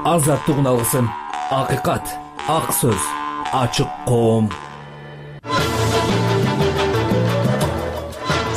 азаттыгын алгысың. Акыйкат, ак сөз, ачык коом.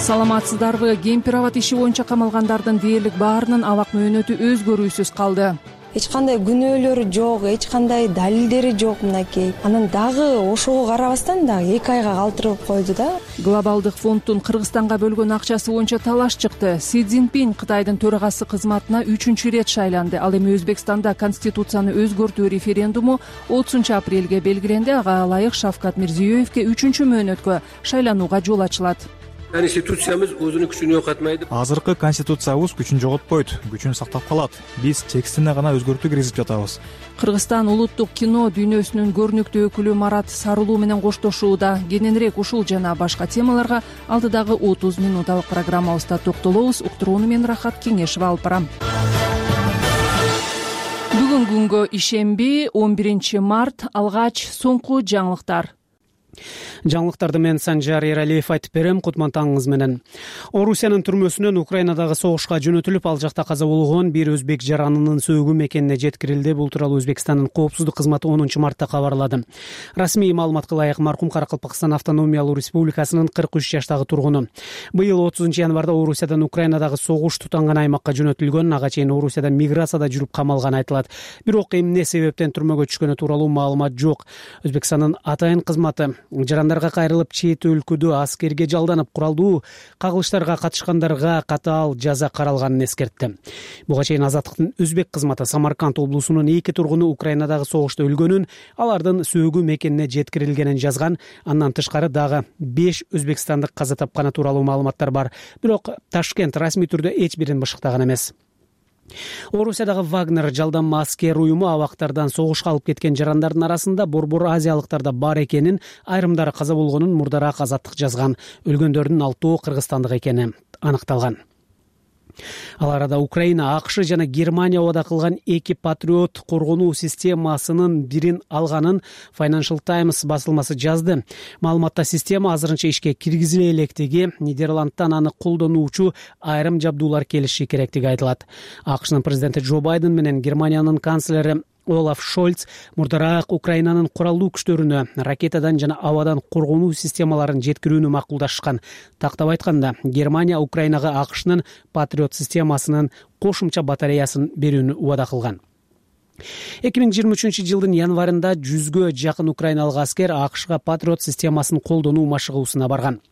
Саламатсыздарбы? Кемпир-абад иши боюнча камалгандардын дээрлик баарынын абак мөөнөтү өзгөрүүсүз калды. Эч кандай күнөөлөрү жок, эч кандай далилдери жок мынакей. Анан дагы ошого карабастан дагы 2 айга калтырып койду да. Глобалдык фонддун Кыргызстанга бөлгөн акчасы боюнча талаш чыкты. Си Цзиньпин Кытайдын төрагасы кызматына 3-чү ирет шайланды. Ал эми Өзбекстанда конституцияны өзгөртүү референдуму 30-апрелге белгиленди. Ага ылайык Шавкат Мирзиёевке 3-чү мөөнөткө шайланууга жол ачылат. Конституциябыз өзүнүн күчүн жоготмайды. Азыркы конституциябыз күчүн жоготпойт, күчүн сактап калат. Биз текстине гана өзгөртүү киргизип жатабыз. Кыргызстан улуттук кино дүйнөсүнүн көрүнүктүү өкүлү Марат Сарылуу менен коштошууда. Кененирээк ушул жана башка темаларга алдыдагы 30 минуталык программабызда токтолобуз. Уктурууну мен Рахат Кеңешева алып барам. Бүгүнкү күнгө ишемби 11 март алгач соңку жаңылыктар. Жаңылыктарды мен Санжар Эралиев айтып берем. Кутмантаңыңыз менен. Орусиянын түрмөсүнөн Украинадагы согушка жөнөтүлүп, ал жакта каза болгон бир өзбек жаранынын сөөгү мекенине жеткирилди. Бул тууралуу Өзбекстандын коопсуздук кызматы 10 мартта кабарлады. Расмий маалыматка ылайык маркум Каракалпакстан автономиялуу республикасынын 43 жаштагы тургуну. Быйыл 30 январда Орусиядан Украинадагы согуш тутанган аймакка жөнөтүлгөн. Ага чейин Орусияда миграцияда жүрүп камалган айтылат. Бирок эмне себептен түрмөгө түшкөнү тууралуу маалымат жок. Өзбекстандын атайын кызматы жарандарга кайрылып чет өлкөдө аскерге жалданып куралдуу кагылыштарга катышкандарга катаал жаза каралганын эскертти. Буга чейин Азаттыктын өзбек кызматы Самарканд облусунун 2 тургуну Украинадагы согушта өлгөнүн, алардын сөөгү мекенине жеткирилгенин жазган. Андан тышкары дагы 5 өзбекстандык каза тапканы тууралуу маалыматтар бар. Бирок Ташкент расмий түрдө эч бирин бышыктаган эмес. Орусиядагы Вагнер жалданма аскер уюму абактардан согушка алып кеткен жарандардын арасында борбор азиялыктар да бар экенин, айрымдары каза болгонун мурдараак Азаттык жазган. Өлгөндөрдүн 6 кыргызстандык экени аныкталган. Ал арада Украина, АКШ жана Германия убада кылган 2 патриот коргонуу системасынын бирин алганын Financial Times басылмасы жазды. Маалыматта система азырынча ишке киргизиле электиги, Нидерландтан аны колдонуучу айрым жабдуулар келиши керектиги айтылат. АКШнын президенти Джо Байден менен Германиянын канцлери Олаф Шольц мурдараак Украинанын куралдуу күчтөрүнө ракетадан жана абадан коргонуу системаларын жеткирүүнү макулдашкан. Тактап айтканда, Германия Украинага АКШнын Патриот системасынын кошумча батареясын берүүнү убада кылган. 2023 жылдын январында 100гө жакын украиналык аскер АКШга Патриот системасын колдонуу машыгуусуна барган.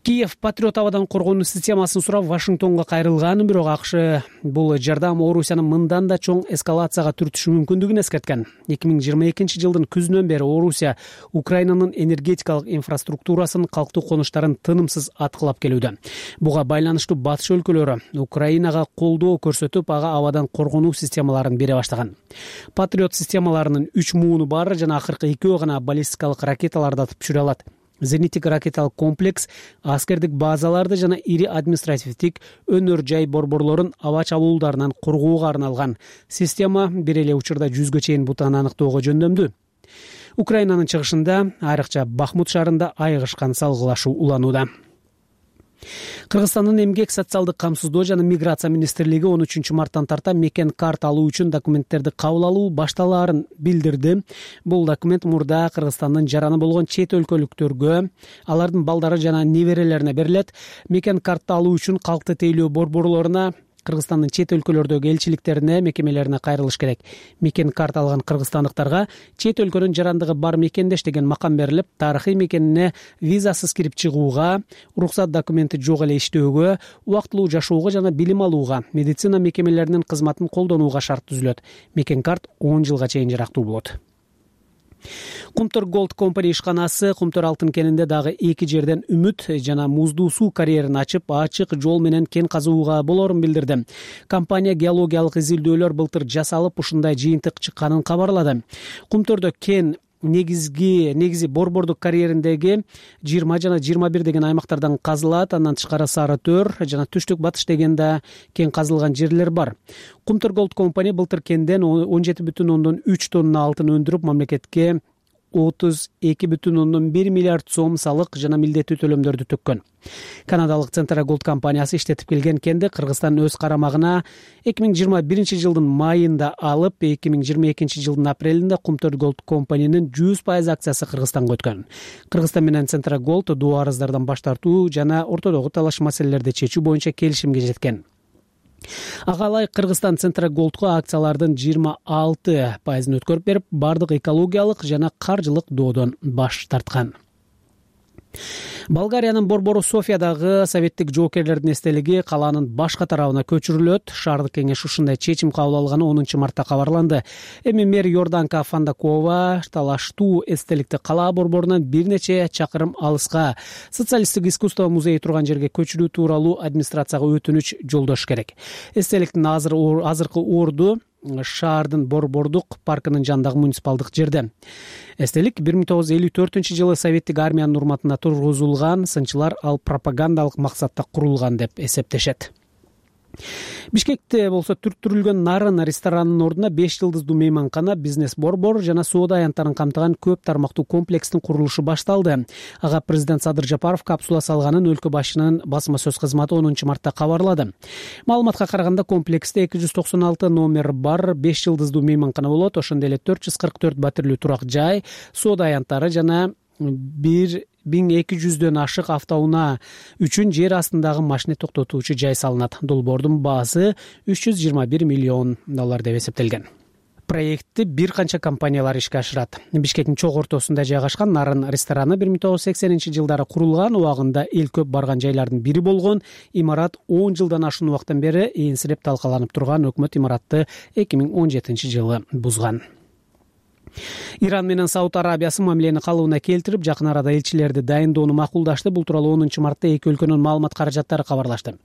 Киев Патриот абадан коргонуу системасын сурап Вашингтонго кайрылган, бирок АКШ бул жардам Орусиянын мындан да чоң эскалацияга түртүшү мүмкүндүгүн эскерткен. 2022 жылдын күзүнөн бери Орусия Украинанын энергетикалык инфраструктурасын, калктуу конуштарын тынымсыз аткылап келүүдө. Буга байланыштуу батыш өлкөлөрү Украинага колдоо көрсөтүп, ага абадан коргонуу системаларын бере баштаган. Патриот системаларынын 3 мууну бар жана акыркы 2 гана баллистикалык ракеталарды атып түшүрө алат. Зениттик ракеталык комплекс аскердик базаларды жана ири административдик өнөр жай борборлорун аба чабуулдарынан коргоого арналган. Система бир эле учурда 100гө чейин бутаны аныктоого жөндөмдүү. Украинанын чыгышында, айрыкча Бахмут шаарында айыгышкан салгылашуу уланууда. Кыргызстандын эмгек, социалдык камсыздоо жана миграция министрлиги 13 марттан тарта мекен карта алуу үчүн документтерди кабыл алуу башталаарын билдирди. Бул документ мурда Кыргызстандын жараны болгон чет өлкөлүктөргө, алардын балдары жана неберелерине берилет. Мекен карта алуу үчүн калкты тейлөө борборлоруна, Кыргызстандын чет өлкөлөрдөгү элчиликтерине, мекемелерине кайрылыш керек. Мекен карта алган кыргызстандыктарга чет өлкөнүн жарандыгы бар мекендеш деген макам берилип, тарыхый мекенине визасыз кирип чыгууга, уруксат документи жок эле иштөөгө, убактылуу жашоого жана билим алууга, медицина мекемелеринин кызматын колдонууга шарт түзүлөт. Мекен карт 10 жылга чейин жарактуу болот. Кумтөр Gold Company ишканасы Кумтөр алтын кенинде дагы 2 жерден үмүт жана муздуу суу карьерин ачып, ачык жол менен кен казууга болорун билдирди. Компания геологиялык изилдөөлөр былтыр жасалып, ушундай жыйынтык чыкканын кабарлады. Кумтөрдө кен негизи борбордук карьериндеги 20 жана 21 деген аймактардан казылат. Андан тышкары Сары Төр жана Түштүк Батыш деген да кен казылган жерлер бар. Кумтөр Gold Company былтыр кенден 17,3 тонна алтын өндүрүп, мамлекетке 32,1 миллиард сом салык жана милдеттүү төлөмдөрдү төккөн. Канадалык Centra Gold компаниясы иштетип келген кенди Кыргызстан өз карамагына 2021 жылдын майында алып, 2022 жылдын апрелинде Qumtor Gold компаниянын 100% акциясы Кыргызстанга өткөн. Кыргызстан менен Centra Gold доо арыздардан баш тартуу жана ортодогу талаш маселелерди чечүү боюнча келишимге жеткен. Ага ылайык Кыргызстан Centra Gold'го акциялардын 26% өткөрүп берип, бардык экологиялык жана каржылык доодон баш тарткан. Болгариянын борбору Софиядагы советтик жоокерлердин эстелиги калаанын башка тарабына көчүрүлөт. Шаардык кеңеш ушундай чечим кабыл алганы 10 мартта кабарланды. Эми мэр Йорданка Фандакова талаштуу эстеликти кала борборунан бир нече чакырым алыска социалисттик искусство музейи турган жерге көчүрүү тууралуу администрацияга өтүнүч жолдош керек. Эстеликтин азыркы орду шаардын борбордук паркынын жанындагы муниципалдык жерде. Эстелик 1954 жылы советтик армиянын урматына тургузулган, сынчылар ал пропагандалык максатта курулган деп эсептешет. Бишкекте болсо түрттүрүлгөн Нарын ресторанынын ордуна 5 жылдыздуу мейманкана, бизнес борбор жана соода аянттарын камтыган көп тармактуу комплекстин курулушу башталды. Ага президент Садыр Жапаров капсула салганын өлкө башчынын басма сөз кызматы 10 мартта кабарлады. Маалыматка караганда комплексте 296 номер бар 5 жылдыздуу мейманкана болот. Ошондой эле 444 батирлүү турак жай, соода аянттары жана 1200дөн ашык автоунаа үчүн жер астындагы машина токтотуучу жай салынат. Долбоордун баасы $321 миллион деп эсептелген. Проектти бир канча компаниялар ишке ашырат. Бишкектин чок ортосунда жайгашкан Нарын рестораны 1980 жылдары курулган, убагында эл көп барган жайлардын бири болгон. Имарат 10 жылдан ашуун убакыттан бери энсиреп талкаланып турган, өкмөт имаратты 2017 жылы бузган. Иран менен Сауд Арабиясы мамилени калыбына келтирип, жакын арада элчилерди дайындоону макулдашты. Бул тууралуу 10 мартта эки өлкөнүн маалымат каражаттары кабарлашты.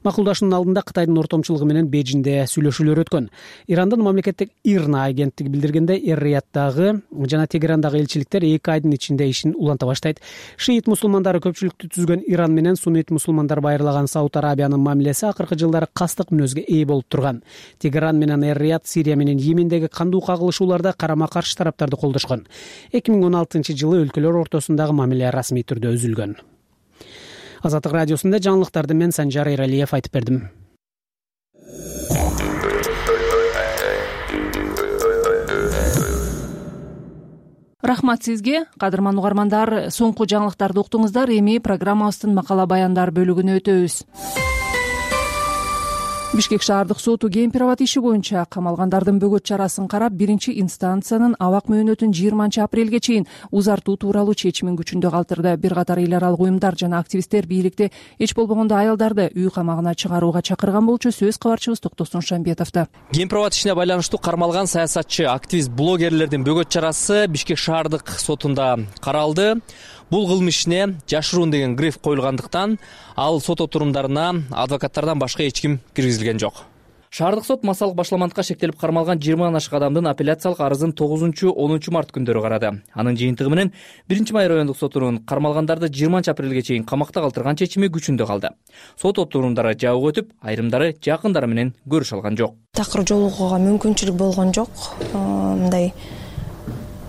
Макулдашуунун алдында Кытайдын ортомчулугу менен Бейжиңде сүйлөшүүлөр өткөн. Ирандын мамлекеттик ИРНА агенттиги билдиргенде, Эр-Рияттагы жана Тегерандагы элчиликтер 2 айдын ичинде ишин уланта баштайт. Шиит мусулмандары көпчүлүктү түзгөн Иран менен суннит мусулмандар байырлаган Сауд Арабиянын мамилеси акыркы жылдары кастык мүнөзгө ээ болуп турган. Тегеран менен Эр-Рият Сирия менен Йемендеги кандуу кагылышууларда карама-каршы тараптарды колдошкон. 2016 жылы өлкөлөр ортосундагы мамиле расмий түрдө үзүлгөн. Азаттык радиосунда жаңылыктарды мен Санжар Эралиев айтып бердим. Рахмат сизге, кадырман угармандар. Соңку жаңылыктарды уктуңуздар. Эми программабыздын макала баяндар бөлүгүнө өтөбүз. Бишкек шаардык соту Кемпирабад иши боюнча камалгандардын бөгөт чарасын карап, биринчи инстанциянын абак мөөнөтүн 20 апрелге чейин узартуу тууралуу чечимин күчүндө калтырды. Бир катар эл аралык уюмдар жана активисттер бийликти эч болбогондо аялдарды үй камагына чыгарууга чакырган болчу. Сөз кабарчыбыз Токтосун Шамбетовдо. Кемпирабад ишине байланыштуу кармалган саясатчы, активист, блогерлердин бөгөт чарасы Бишкек шаардык сотунда каралды. Бул кылмышына жашыруун деген гриф коюлгандыктан ал сот отурумдарына адвокаттардан башка эч ким киргизилген жок. Шаардык сот массалык башламандыкка шектелип кармалган 20 ашык адамдын апелляциялык арызын 9-10 март күндөрү карады. Анын жыйынтыгы менен 1-май райондук сотунун кармалгандарды 20 апрелге чейин камакта калтырган чечими күчүндө калды. Сот отурумдары жабык өтүп, айрымдары жакындары менен көрүшө алган жок. Такыр жолугууга мүмкүнчүлүк болгон жок. Мындай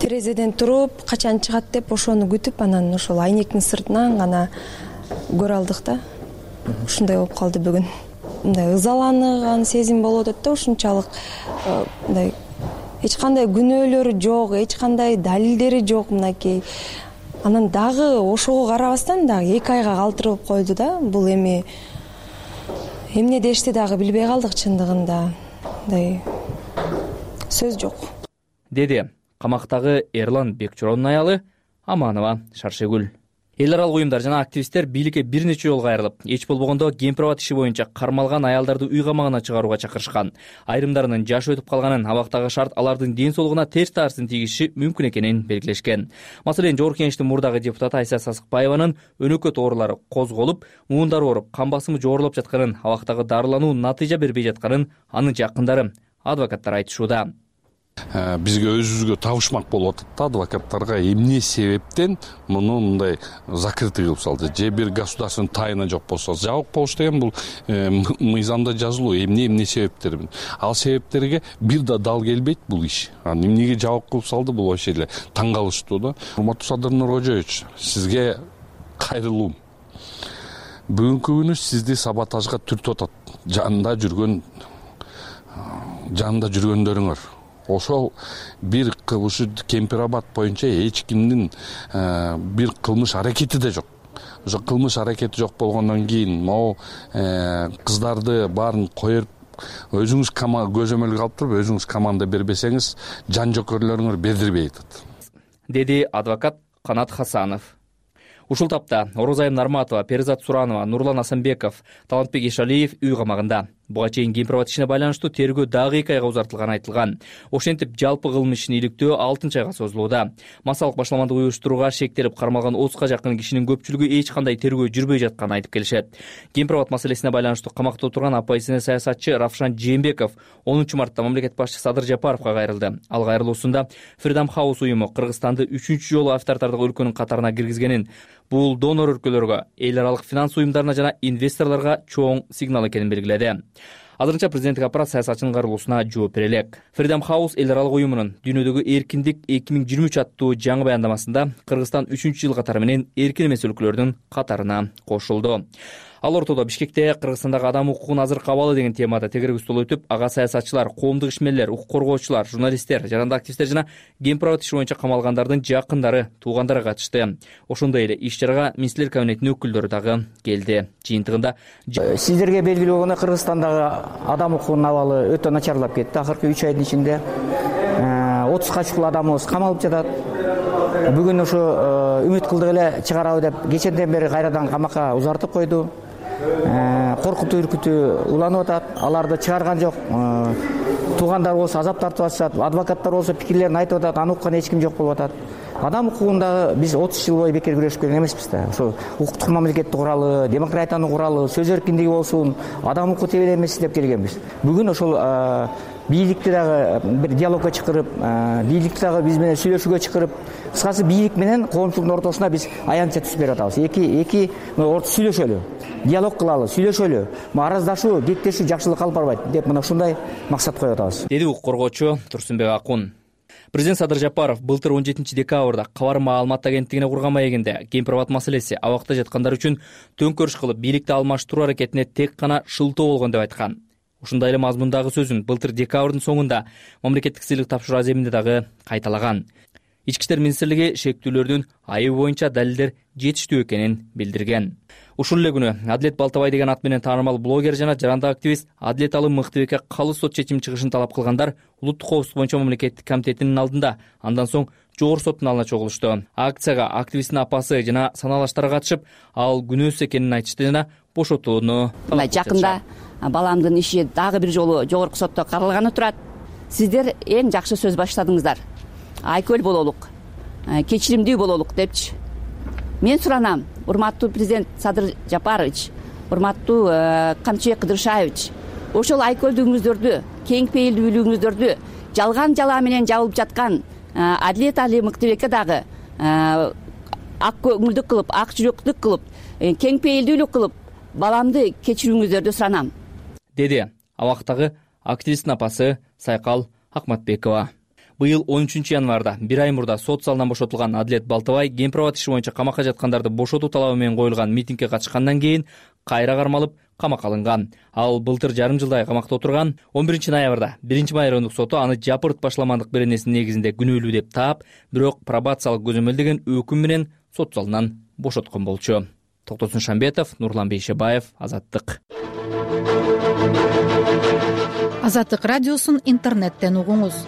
терезеден туруп, качан чыгат деп ошону күтүп, анан ошол айнектин сыртынан гана көрө алдык да. Ушундай болуп калды бүгүн. Мындай ызаланган сезим болуп атат да, ушунчалык мындай эч кандай күнөөлөрү жок, эч кандай далилдери жок мынакей. Анан дагы ошого карабастан дагы 2 айга калтырып койду да. Бул эми эмне дешти дагы билбей калдык чындыгында. Мындай сөз жок. Деди камактагы Эрлан Бекчоронун аялы Аманова Шаршегүл. Эл аралык уюмдар жана активисттер бийликке бир нече жолу кайрылып, эч болбогондо Кемпирабад иши боюнча кармалган аялдарды үй камагына чыгарууга чакырышкан. Айрымдарынын жашы өтүп калганын, абактагы шарт алардын ден соолугуна терс таасирин тийгизиши мүмкүн экенин белгилешкен. Маселен, Жогорку Кеңештин мурдагы депутаты Айса Сасыкбаеванын өнөкөт оорулары козголуп, муундары ооруп, кан басымы жогорулуп жатканын, абактагы дарылануу натыйжа бербей жатканын анын жакындары, адвокаттар айтышууда. Бизге өзүбүзгө табышмак болуп атат да, адвокаттарга эмне себептен муну мындай закрытый кылып салды, же бир государственный тайна жок болсо. Жабык болуш деген бул мыйзамда жазылуу, эмне себептер. Ал себептерге бир да дал келбейт бул иш. Эмнеге жабык кылып салды, бул вообще эле таң калыштуу да. Урматтуу Садыр Нуркожоевич, сизге кайрылуум. Бүгүнкү күнү сизди саботажга түртүп атат. Жанында жүргөндөрүңөр. Ошол бир кылмышы Кемпирабад боюнча эч кимдин бир кылмыш аракети да жок. Ошо кылмыш аракети жок болгондон кийин могу кыздарды баарын коюп өзүңүз көзөмөлгө алып туруп өзүңүз команда бербесеңиз жан жокерлөрүңөр бердирбей атат, деди адвокат Канат Хасанов. Ушул тапта Орозайым Нарматова, Перизат Суранова, Нурлан Асанбеков, Талантбек Ишалиев үй камагында. Буга чейин Кемпирабад ишине байланыштуу тергөө дагы 2 айга узартылганы айтылган. Ошентип жалпы кылмыш ишин иликтөө 6 айга созулууда. Массалык башаламандык уюштурууга шектелип кармалган 30га жакын кишинин көпчүлүгү эч кандай тергөө жүрбөй жатканын айтып келишет. Кемпирабад маселесине байланыштуу камакта отурган оппозиция саясатчы Равшан Жээнбеков 10 мартта мамлекет башчысы Садыр Жапаровго кайрылды. Ал кайрылуусунда Freedom House уюму Кыргызстанды 3-чү жолу авторитардык өлкөнүн катарына киргизгенин, бул донор өлкөлөргө, эл аралык финанс уюмдарына жана инвесторлорго чоң сигнал экенин белгиледи. Азырынча президенттик аппарат саясатчынын кайрылуусуна жооп бере элек. Freedom House эл аралык уюмунун дүйнөдөгү эркиндик 2023 аттуу жаңы баяндамасында Кыргызстан 3-чү жыл катары менен эркин эмес өлкөлөрдүн катарына кошулду. Ал ортодо Бишкекте Кыргызстандагы адам укугун азыркы абалы деген темада тегерек стол өтүп, ага саясатчылар, коомдук ишмерлер, укук коргоочулар, журналисттер, жарандык активисттер жана Кемпирабад иши боюнча камалгандардын жакындары, туугандары катышты. Ошондой эле иш-чарага министрлер кабинетинин өкүлдөрү дагы келди. Жыйынтыгында сиздерге белгилүү болгондой Кыргызстандагы адам укугунун абалы өтө начарлап кетти. Акыркы 3 айдын ичинде 30га чукул адамыбыз камалып жатат. Бүгүн ошо үмүт кылдык эле чыгарабы деп кеченден бери кайрадан камакка узартып койду. Коркутуу, үркүтүү уланып атат. Аларды чыгарган жок. Туугандар болсо азап тартып атышат, адвокаттар болсо пикирлерин айтып атат, аны уккан эч ким жок болуп атат. Адам укугунда биз 30 жыл бою бекер күрөшүп келген эмеспиз да. Ошо укуктук мамлекетти куралы, демократиянын куралы, сөз эркиндиги болсун, адам укугу тебеленбесин деп келгенбиз. Бүгүн ошол бийликти дагы бир диалогго чакырып, бийликти дагы биз менен сүйлөшүүгө чакырып, кыскасы бийлик менен коомчулуктун ортосуна биз аянтча түзүп берип атабыз. Эки сүйлөшөлү, диалог кылалы, сүйлөшөлү, араздашуу, кектешүү жакшылыкка алып барбайт деп мына ушундай максат коюп атабыз, деди укук коргоочу Турсунбек Акун. Президент Садыр Жапаров былтыр 17 декабрда Кабар маалымат агенттигине курган маегинде Кемпирабад маселеси абакта жаткандар үчүн төңкөрүш кылып бийликти алмаштыруу аракетине тек гана шылтоо болгон деп айткан. Ушундай эле мазмундагы сөзүн былтыр декабрдын соңунда мамлекеттик сыйлык тапшыруу аземинде дагы кайталаган. Ички иштер министрлиги шектүүлөрдүн айыбы боюнча далилдер жетиштүү экенин билдирген. Ушул эле күнү Адилет Балтабай деген ат менен таанымал блогер жана жарандык активист Адилет Алым Мыктыбекке калыс сот чечим чыгышын талап кылгандар улуттук коопсуздук боюнча мамлекеттик комитетинин алдында, андан соң жогорку соттун алдына чогулушту. Акцияга активисттин апасы жана саналаштары катышып, ал күнөөсүз экенин айтышты жана бошотууну талап кылышты. Жакында баламдын иши дагы бир жолу жогорку сотто каралганы турат. Сиздер эң жакшы сөз баштадыңыздар. Айкөл бололук, кечиримдүү бололук депчи. Мен суранам, урматтуу президент Садыр Жапарович, урматтуу Камчыбек Кыдыршаевич, ошол айкөлдүгүңүздөрдү, кең пейилдүүлүгүңүздөрдү жалган жала менен жабылып жаткан Адилет Али Мыктыбекке дагы ак көңүлдүк кылып, ак жүрөктүк кылып, кең пейилдүүлүк кылып, баламды кечирүүңүздөрдү суранам, деди абактагы активисттин апасы Сайкал Акматбекова. Быйыл 13 январда бир ай мурда сот залынан бошотулган Адилет Балтабай Кемпирабад иши боюнча камакка жаткандарды бошотуу талабы менен коюлган митингге катышкандан кийин кайра кармалып камакка алынган. Ал былтыр жарым жылдай камакта отурган. 11 ноябрда 1-май райондук соту аны жапырт башаламандык беренесинин негизинде күнөөлүү деп таап, бирок пробациялык көзөмөл деген өкүм менен сот залынан бошоткон болчу. Токтосун Шамбетов, Нурлан Бейшебаев, Азаттык. Азаттык радиосун интернеттен угуңуз.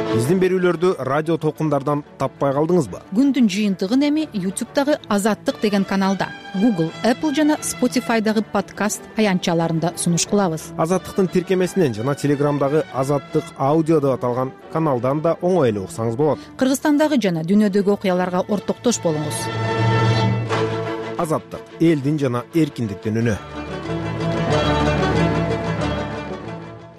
Биздин берүүлөрдү радио толкундардан таппай калдыңызбы? Күндүн жыйынтыгын эми YouTube'дагы Азаттык деген каналда, Google, Apple жана Spotify'дагы подкаст аянтчаларында сунуш кылабыз. Азаттыктын тиркемесинен жана Телеграмдагы Азаттык аудио деп аталган каналдан да оңой эле уксаңыз болот. Кыргызстандагы жана дүйнөдөгү окуяларга ортоктош болуңуз. Азаттык — элдин жана эркиндиктин үнү.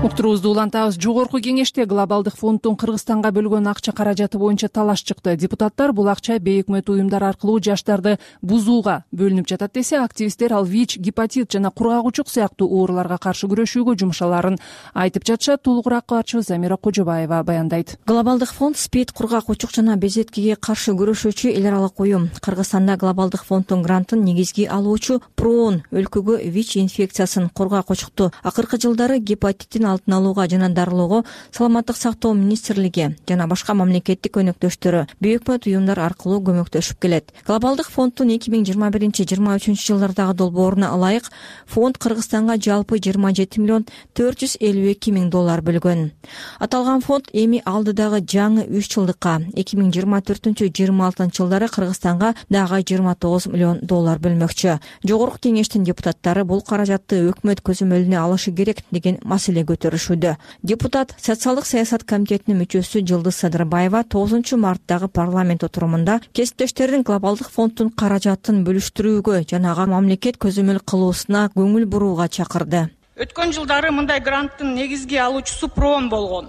уктуруубузду улантабыз. Жогорку кеңеште глобалдык фонддун Кыргызстанга бөлгөн акча каражаты боюнча талаш чыкты. Депутаттар бул акча бейөкмөт уюмдар аркылуу жаштарды бузууга бөлүнүп жатат десе, активисттер ал ВИЧ, гепатит жана кургак сыяктуу ооруларга каршы күрөшүүгө жумшаларын айтып жатышат. Толугураак кабарчыбыз Замира Кожобаева баяндайт. Глобалдык фонд СПИД, кургак жана безеткеге каршы күрөшүүчү эл аралык уюм. Кыргызстанда глобалдык фонддун грантын негизги алуучу ПРООН өлкөгө ВИЧ инфекциясын, кургак акыркы жылдары гепатиттин алдын алууга жана дарылоого Саламаттык сактоо министрлиги жана башка мамлекеттик өнөктөштөрү бейөкмөт уюмдар аркылуу көмөктөшүп келет. Глобалдык фонддун 2021-23 жылдардагы долбооруна ылайык фонд Кыргызстанга жалпы 27,452 миң доллар бөлгөн. Аталган фонд эми алдыдагы жаңы 3 жылдыкка 2024-26 жылдары Кыргызстанга дагы 29 миллион доллар бөлмөкчү. Жогорку кеңештин депутаттары бул каражатты өкмөт көзөмөлүнө алышы керек деген маселе көтөрүшүүдө. Депутат социалдык саясат комитетинин мүчөсү Жылдыз Садырбаева 9 марттагы парламент отурумунда кесиптештердин глобалдык фонддун каражатын бөлүштүрүүгө жана ага мамлекет көзөмөл кылуусуна көңүл бурууга чакырды. Өткөн жылдары мындай гранттын негизги алуучусу ПРООН болгон.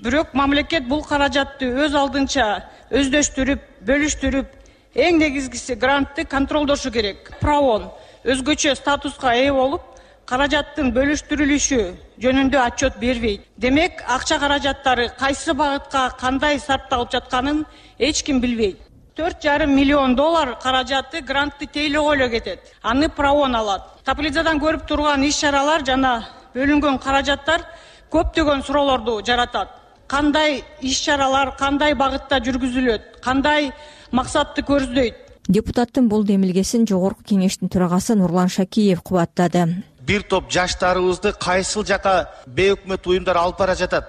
Бирок мамлекет бул каражатты өз алдынча өздөштүрүп, бөлүштүрүп, эң негизгиси грантты контролдошу керек. ПРООН өзгөчө статуска ээ болуп, каражаттын бөлүштүрүлүшү жөнүндө отчет бербейт. Демек, акча каражаттары кайсы багытка кандай сарпталып жатканын эч ким билбейт. 4,5 миллион доллар каражаты грантты тейлөөгө эле кетет. Аны ПРООН алат. Таблицадан көрүп турган иш-чаралар жана бөлүнгөн каражаттар көптөгөн суроолорду жаратат. Кандай иш-чаралар, кандай багытта жүргүзүлөт, кандай максатты көздөйт? Депутаттын бул демилгесин жогорку кеңештин төрагасы Нурлан Шакиев кубаттады. Бир топ жаштарыбызды кайсыл жака бейөкмөт уюмдар алып бара жатат?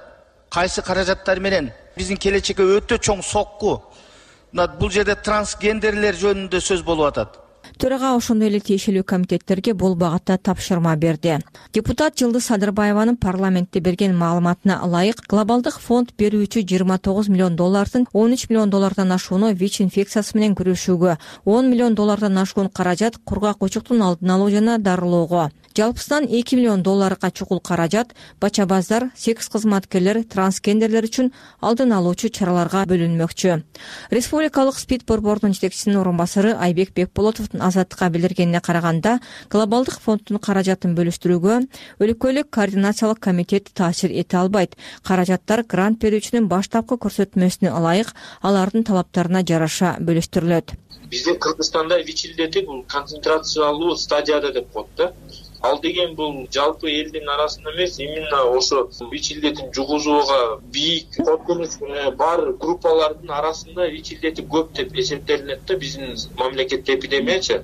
Кайсы каражаттар менен? Биздин келечекке өтө чоң сокку. Бул жерде трансгендерлер жөнүндө сөз болуп атат. Төрага ошондой эле тиешелүү комитеттерге бул багытта тапшырма берди. Депутат Жылдыз Садырбаеванын парламентте берген маалыматына ылайык, глобалдык фонд берүүчү 29 миллион доллардын 13 миллион доллардан ашууну ВИЧ инфекциясы менен күрөшүүгө, 10 миллион доллардан ашуун каражат кургак алдын алуу жана дарылоого, жалпысынан 2 миллион долларга чукул каражат бачабаздар, секс кызматкерлер, трансгендерлер үчүн алдын алуучу чараларга бөлүнмөкчү. Республикалык СПИД борборунун жетекчисинин орун басары Айбек Бекболотовдун Азаттыкка билдиргенине караганда, глобалдык фонддун каражатын бөлүштүрүүгө өлкөлүк координациялык комитет таасир эте албайт. Каражаттар грант берүүчүнүн баштапкы көрсөтмөсүнө ылайык алардын талаптарына жараша бөлүштүрүлөт. Бизде Кыргызстанда ВИЧ илдети бул концентрациялуу стадияда деп коет да. Ал деген бул жалпы элдин арасында эмес, именно ошо ВИЧ илдетин жугузууга бийик коркунуч бар группалардын арасында ВИЧ илдети көп деп эсептелинет да биздин мамлекетте эпидемиячы.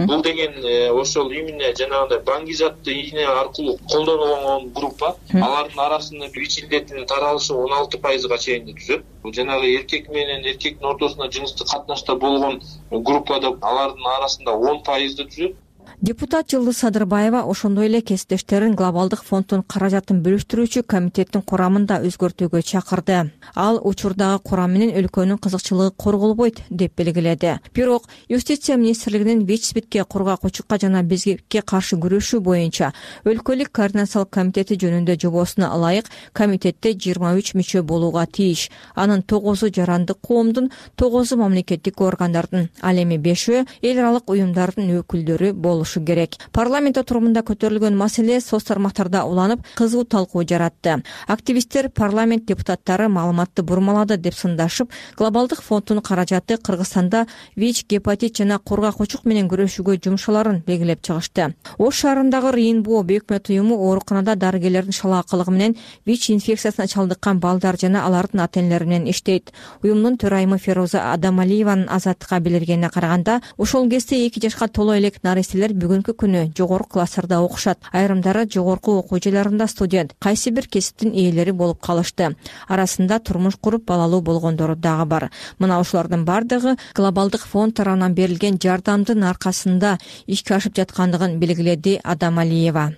Бул деген ошол именно жанагындай баңгизатты ийне аркылуу колдонулган группа. Алардын арасында ВИЧ илдетинин таралышы 16%га чейин түзөт. Жанагы эркек менен эркектин ортосунда жыныстык катнашта болгон группада алардын арасында 10%ды түзөт. Депутат Жылдыз Садырбаева ошондой эле кесиптештерин глобалдык фонддун каражатын бөлүштүрүүчү комитеттин курамында өзгөртүүгө чакырды. Ал учурдагы курам менен өлкөнүн кызыкчылыгы корголбойт деп белгиледи. Бирок Юстиция министрлигинин ВИЧ-СПИДке, кургак жана безгекке каршы күрөшүү боюнча өлкөлүк координациялык комитети жөнүндө жобосуна ылайык комитетте 23 мүчө болууга тийиш. Анын 9-у жарандык коомдун, 9-у мамлекеттик органдардын, ал эми 5-өө эл аралык уюмдардын өкүлдөрү болушу керек. Парламент отурумунда көтөрүлгөн маселе соц тармактарда уланып, кызуу талкуу жаратты. Активисттер парламент депутаттары маалыматты бурмалады деп сындашып, глобалдык фонддун каражаты Кыргызстанда ВИЧ, гепатит жана кургак менен күрөшүүгө жумшаларын белгилеп чыгышты. Ош шаарындагы Рейнбо бейөкмөт уюму ооруканада дарыгерлердин шалаакылыгы менен ВИЧ инфекциясына чалдыккан балдар жана алардын ата-энелери менен иштейт. Уюмдун төрайымы Фероза Адамалиеванын Азаттыкка билдиргенине караганда, ошол кезде 2 жашка толо элек наристелер бүгүнкү күнү жогорку класстарда окушат. Айрымдары жогорку окуу жайларында студент, кайсы бир кесиптин ээлери болуп калышты. Арасында турмуш куруп балалуу болгондору дагы бар. Мына ошолордун бардыгы глобалдык фонд тарабынан берилген жардамдын аркасында ишке ашып жаткандыгын белгиледи Адамалиева.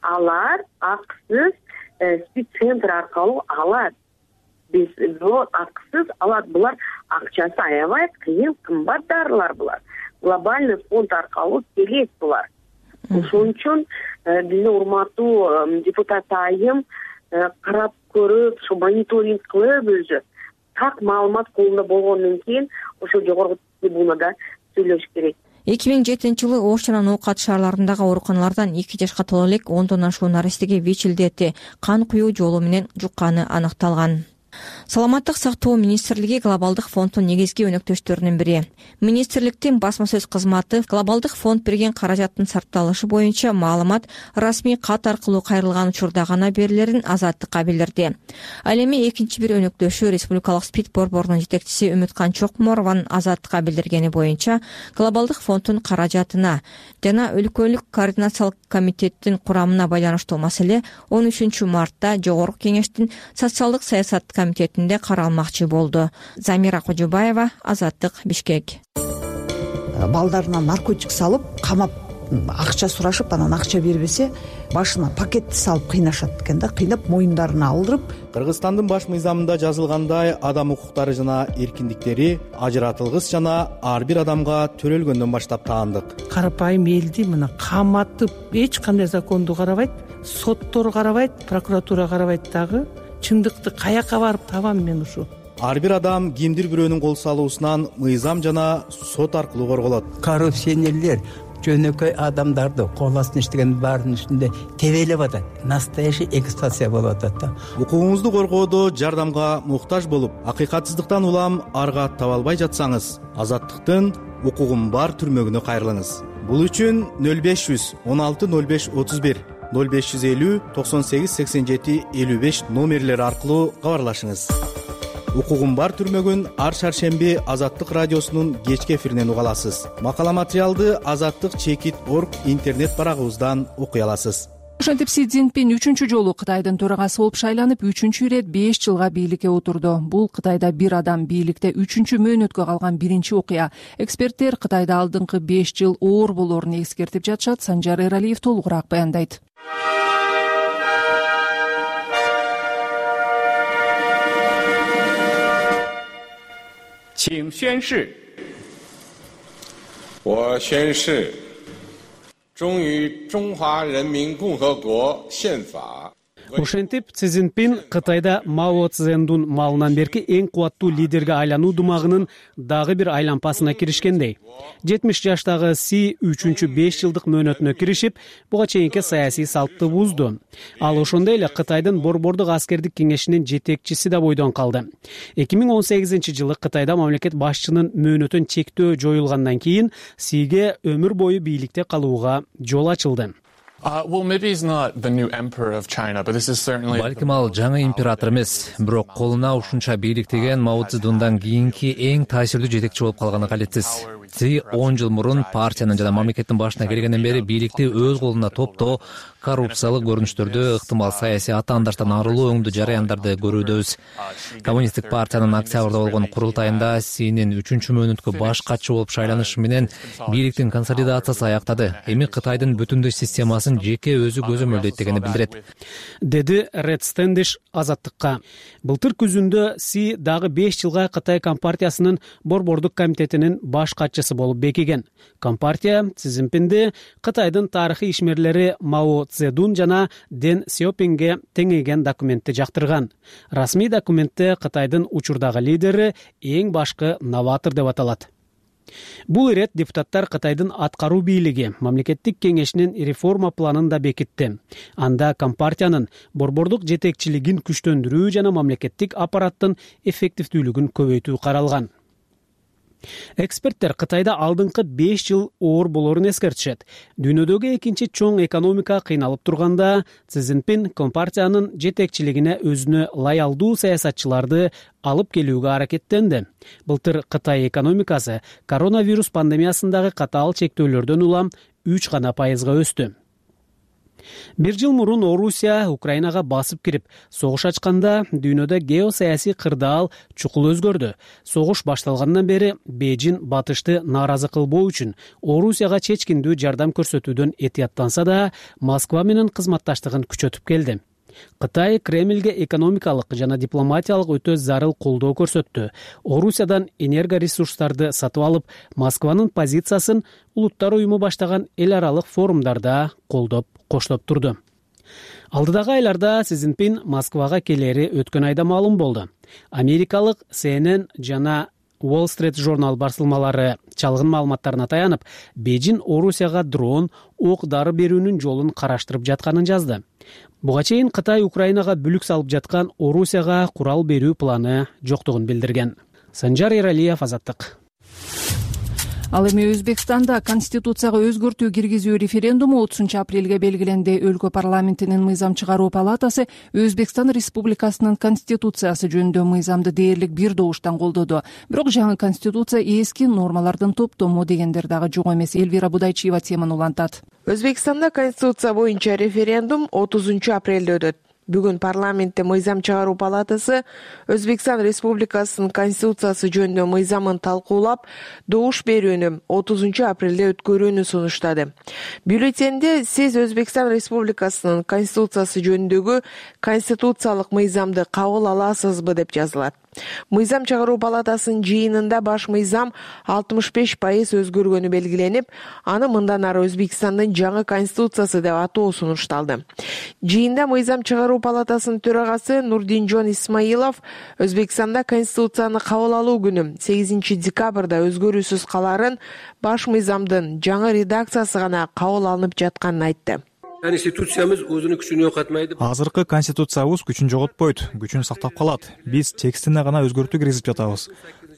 Алар акысыз СПИД центр аркылуу алат. Биз акысыз алат. Булар акчасы аябай кыйын, кымбат дарылар булар. Глобальный фонд аркылуу келет булар. ошон үчүн биздин урматтуу депутат айым карап көрүп ошо мониторинг кылып өзү так маалымат колунда болгондон кийин ошо жогорку трибунада сүйлөш керек. 2007-жылы Ош жана Ноокат шаарларындагы ооруканалардан 2 жашка толо элек 10дон ашуун наристеге ВИЧ илдети кан куюу жолу менен жукканы аныкталган. Саламаттык сактоо министрлиги глобалдык фонддун негизги өнөктөштөрүнүн бири. Министрликтин басма сөз кызматы глобалдык фонд берген каражаттын сарпталышы боюнча маалымат расмий кат аркылуу кайрылган учурда гана берилерин азаттыкка билдирди. Ал эми экинчи бир өнөктөшү Республикалык СПИД борборунун жетекчиси Үмүткан Чокморованын азаттыкка билдиргени боюнча глобалдык фонддун каражатына жана өлкөлүк координациялык комитеттин курамына байланыштуу маселе 13 мартта Жогорку кеңештин социалдык саясат комитетинде каралмакчы болду. Замира Кожобаева, Азаттык, Бишкек. Балдарына наркотик салып, камап, акча сурашып, анан акча бербесе, башына пакетти салып кыйнашат экен да, кыйнап моюндарына алдырып. Кыргызстандын баш мыйзамында жазылгандай адам укуктары жана эркиндиктери ажыратылгыс жана ар бир адамга төрөлгөндөн баштап таандык. Карапайым элди мына каматып, эч кандай законду карабайт, соттор карабайт, прокуратура карабайт дагы. Чындыкты каяка барып табам мен ушу? Ар бир адам кимдир бирөөнүн кол салуусунан мыйзам жана сот аркылуу корголот. Коррупционерлер жөнөкөй адамдарды кол астына иштеген баарынын үстүндө тебелеп атат. Настоящий эксплуатация болуп атат да. Укугуңузду коргоодо жардамга муктаж болуп, акыйкатсыздыктан улам арга таба албай жатсаңыз, Азаттыктын укугум бар түрмөгүнө кайрылыңыз. Бул үчүн 0500 16 05 31 0550 98 87 55 номерлери аркылуу кабарлашыңыз. Укугум бар түрмөгүн ар шаршемби Азаттык радиосунун кечки эфиринен уга аласыз. Макала материалды azattik.org интернет барагыбыздан окуй аласыз. Ошентип Си Цзиньпин 3-чү жолу Кытайдын төрагасы болуп шайланып, 3-чү ирет 5 жылга бийликке отурду. Бул Кытайда бир адам бийликте 3-чү мөөнөткө калган биринчи окуя. Эксперттер Кытайда алдыңкы 5 жыл оор болоорун эскертип жатышат. Санжар Эралиев толугураак баяндайт. Ошентип Си Цзиньпин Кытайда Мао Цзэдун малынан берки эң кубаттуу лидерге айлануу думагынын дагы бир айлампасына киришкендей. 70 жаштагы Си 3-чү 5 жылдык мөөнөтүнө киришип, буга чейинки саясий салтты бузду. Ал ошондой эле Кытайдын борбордук аскердик кеңешинин жетекчиси да бойдон калды. 2018-жылы Кытайда мамлекет башчынын мөөнөтүн чектөө жоюлгандан кийин Сиге өмүр бою бийликте калууга жол ачылды. Балким ал жаңы император эмес, бирок колуна ушунча бийликтеген Мао Цзэдундан кийинки эң таасирдүү жетекчи болуп калганы калетсиз. Си 10 жыл мурун партиянын жана мамлекеттин башына келгенден бери бийликти өз колуна топтоо, коррупциялык көрүнүштөрдү, ыктымал саясий атаандаштан арылуу өңдүү жараяндарды көрүүдөбүз. Коммунисттик партиянын октябрда болгон курултайында Синин 3-чү мөөнөткө баш катчы болуп шайланышы менен бийликтин консолидациясы аяктады. Эми Кытайдын бүтүндөй системасын жеке өзү көзөмөлдөйт дегени билдирет, деди Ред Стэндиш Азаттыкка. Былтыр күзүндө Си дагы 5 жылга Кытай Компартиясынын борбордук комитетинин баш катчысы болуп бекиген. Компартия Си Цзиньпинди Кытайдын тарыхый ишмерлери Мао Цзэдун жана Дэн Сяопинге теңейген документти жактырган. Расмий документте Кытайдын учурдагы лидери эң башкы новатор деп аталат. Бул ирет депутаттар Кытайдын аткаруу бийлиги мамлекеттик кеңешинин реформа планын да бекитти. Анда компартиянын борбордук жетекчилигин күчтөндүрүү жана мамлекеттик аппараттын эффективдүүлүгүн көбөйтүү каралган. Эксперттер Кытайда алдыңкы 5 жыл оор болоорун эскертишет. Дүйнөдөгү экинчи чоң экономика кыйналып турганда, Си Цзиньпин компартиянын жетекчилигине өзүнө лоялдуу саясатчыларды алып келүүгө аракеттенди. Былтыр Кытай экономикасы коронавирус пандемиясындагы катаал чектөөлөрдөн улам 3% өстү. Бир жыл мурун Орусия Украинага басып кирип, согуш ачканда дүйнөдө геосаясий кырдаал чукул өзгөрдү. Согуш башталгандан бери Бейжин батышты нааразы кылбоо үчүн Орусияга чечкиндүү жардам көрсөтүүдөн этияттанса да, Москва менен кызматташтыгын күчөтүп келди. Кытай Кремлге экономикалык жана дипломатиялык өтө зарыл колдоо көрсөттү. Орусиядан энергоресурстарды сатып алып, Москванын позициясын Улуттар уюму баштаган эл аралык форумдарда коштоп турду. Алдыдагы айларда Си Цзиньпин Москвага келери өткөн айда маалым болду. Америкалык CNN жана Wall Street журнал басылмалары чалгын маалыматтарына таянып, Бейжин Орусияга дрон, ок-дары берүүнүн жолун караштырып жатканын жазды. Буга чейин Кытай Украинага бүлүк салып жаткан Орусияга курал берүү планы жоктугун билдирген. Санжар Эралиев, Азаттык. Ал эми Өзбекстанда Конституцияга өзгөртүү киргизүү референдуму 30 апрелге белгиленди. Өлкө парламентинин мыйзам чыгаруу палатасы Өзбекстан Республикасынын Конституциясы жөнүндө мыйзамды дээрлик бир добуштан колдоду. Бирок жаңы Конституция эски нормалардын топтому дегендер дагы жок эмес. Элвира Будайчиева теманы улантат. Өзбекстанда Конституция боюнча референдум 30 апрелде өтөт. Бүгүн парламентте мыйзам чыгаруу палатасы Өзбекстан Республикасынын Конституциясы жөнүндө мыйзамын талкуулап, добуш берүүнү 30 апрелде өткөрүүнү сунуштады. Бюллетенде сиз Өзбекстан Республикасынын Конституциясы жөнүндөгү конституциялык мыйзамды кабыл аласызбы деп жазылат. Мыйзам чыгаруу палатасынын жыйынында баш мыйзам 65% өзгөргөнү белгиленип, аны мындан ары Өзбекстандын жаңы конституциясы деп атоо сунушталды. Жыйында мыйзам чыгаруу палатасынын төрагасы Нурдинжон Исмаилов Өзбекстанда конституцияны кабыл алуу күнү 8 декабрда өзгөрүүсүз каларын, баш мыйзамдын жаңы редакциясы гана кабыл алынып жатканын айтты. Конституциямыз өзүнүн күчүн жоготмайды. Азыркы конституциябыз күчүн жоготпойт, күчүн сактап калат. Биз текстине гана өзгөртүү киргизип жатабыз.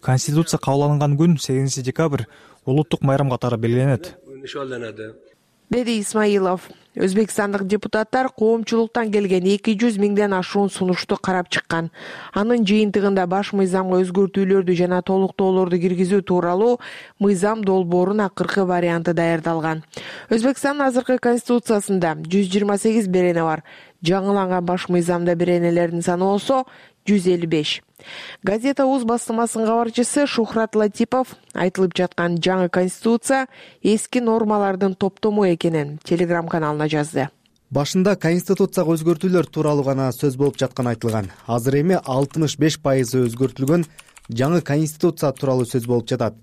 Конституция кабыл алынган күн 8 декабрь улуттук майрам катары белгиленет, деди Исмаилов. Өзбекстандык депутаттар коомчулуктан келген 200 миңден ашуун сунушту карап чыккан. Анын жыйынтыгында баш мыйзамга өзгөртүүлөрдү жана толуктоолорду киргизүү тууралуу мыйзам долбоорунун акыркы варианты даярдалган. Өзбекстандын азыркы конституциясында 128 берене бар. Жаңыланган баш мыйзамда беренелердин саны болсо 155. Газета УЗ басылмасынын кабарчысы Шухрат Латипов айтылып жаткан жаңы конституция эски нормалардын топтому экенин телеграм-каналына жазды. Башында конституцияга өзгөртүүлөр тууралуу гана сөз болуп жатканы айтылган. Азыр эми 65% өзгөртүлгөн жаңы конституция тууралуу сөз болуп жатат.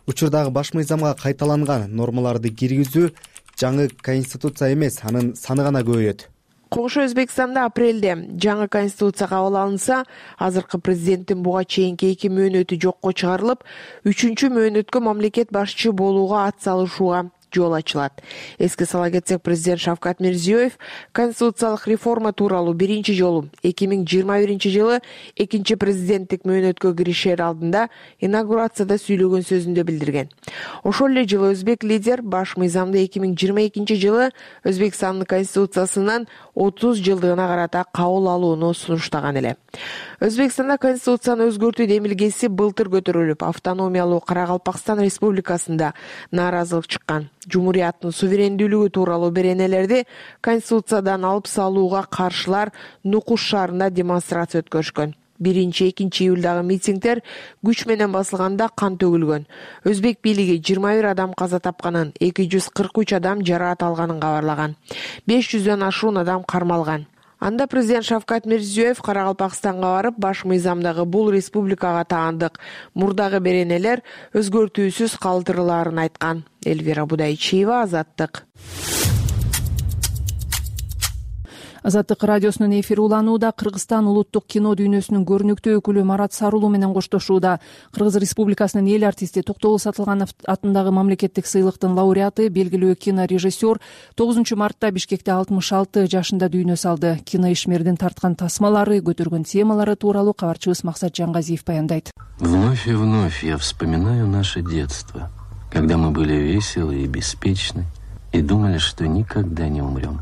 Учурдагы баш мыйзамга кайталанган нормаларды киргизүү жаңы конституция эмес, анын саны гана көбөйөт. Коңшу Өзбекстанда апрелде жаңы конституция кабыл алынса, азыркы президенттин буга чейинки 2 мөөнөтү жокко чыгарылып, 3-чү мөөнөткө мамлекет башчы болууга ат салышууга жол ачылат. Эске сала кетсек, президент Шавкат Мирзиёев конституциялык реформа тууралуу биринчи жолу 2021 жылы 2-чи президенттик мөөнөткө киришер алдында инаугурацияда сүйлөгөн сөзүндө билдирген. Ошол эле жылы өзбек лидер баш мыйзамды 2022 жылы Өзбекстандын конституциясынын 30 жылдыгына карата кабыл алууну сунуштаган эле. Өзбекстанда конституцияны өзгөртүү демилгеси былтыр көтөрүлүп, автономиялуу Каракалпакстан Республикасында нааразылык чыккан. Жумурияттын суверендүүлүгү тууралуу беренелерди конституциядан алып салууга каршылар Нукуш шаарында демонстрация өткөрүшкөн. 1-2 июлдагы митингдер күч менен басылганда кан төгүлгөн. Өзбек бийлиги 21 адам каза тапканын, 243 адам жараат алганын кабарлаган. 500дөн ашуун адам кармалган. Анда президент Шавкат Мирзиёев Каракалпакстанга барып, баш мыйзамдагы бул республикага таандык мурдагы беренелер өзгөртүүсүз калтырылаарын айткан. Элвира Будайчиева, Азаттык. Азаттык радиосунун эфири уланууда. Кыргызстан улуттук кино дүйнөсүнүн көрүнүктүү өкүлү Марат Сарулуу менен коштошууда. Кыргыз Республикасынын эл артисти Токтогул Сатылганов атындагы мамлекеттик сыйлыктын лауреаты, белгилүү кинорежиссер 9 мартта Бишкекте 66 жашында дүйнө салды. Кино ишмердин тарткан тасмалары, көтөргөн темалары тууралуу кабарчыбыз Максат Жангазиев баяндайт. Вновь и вновь я вспоминаю наше детство, когда мы были веселы и беспечны и думали, что никогда не умрем.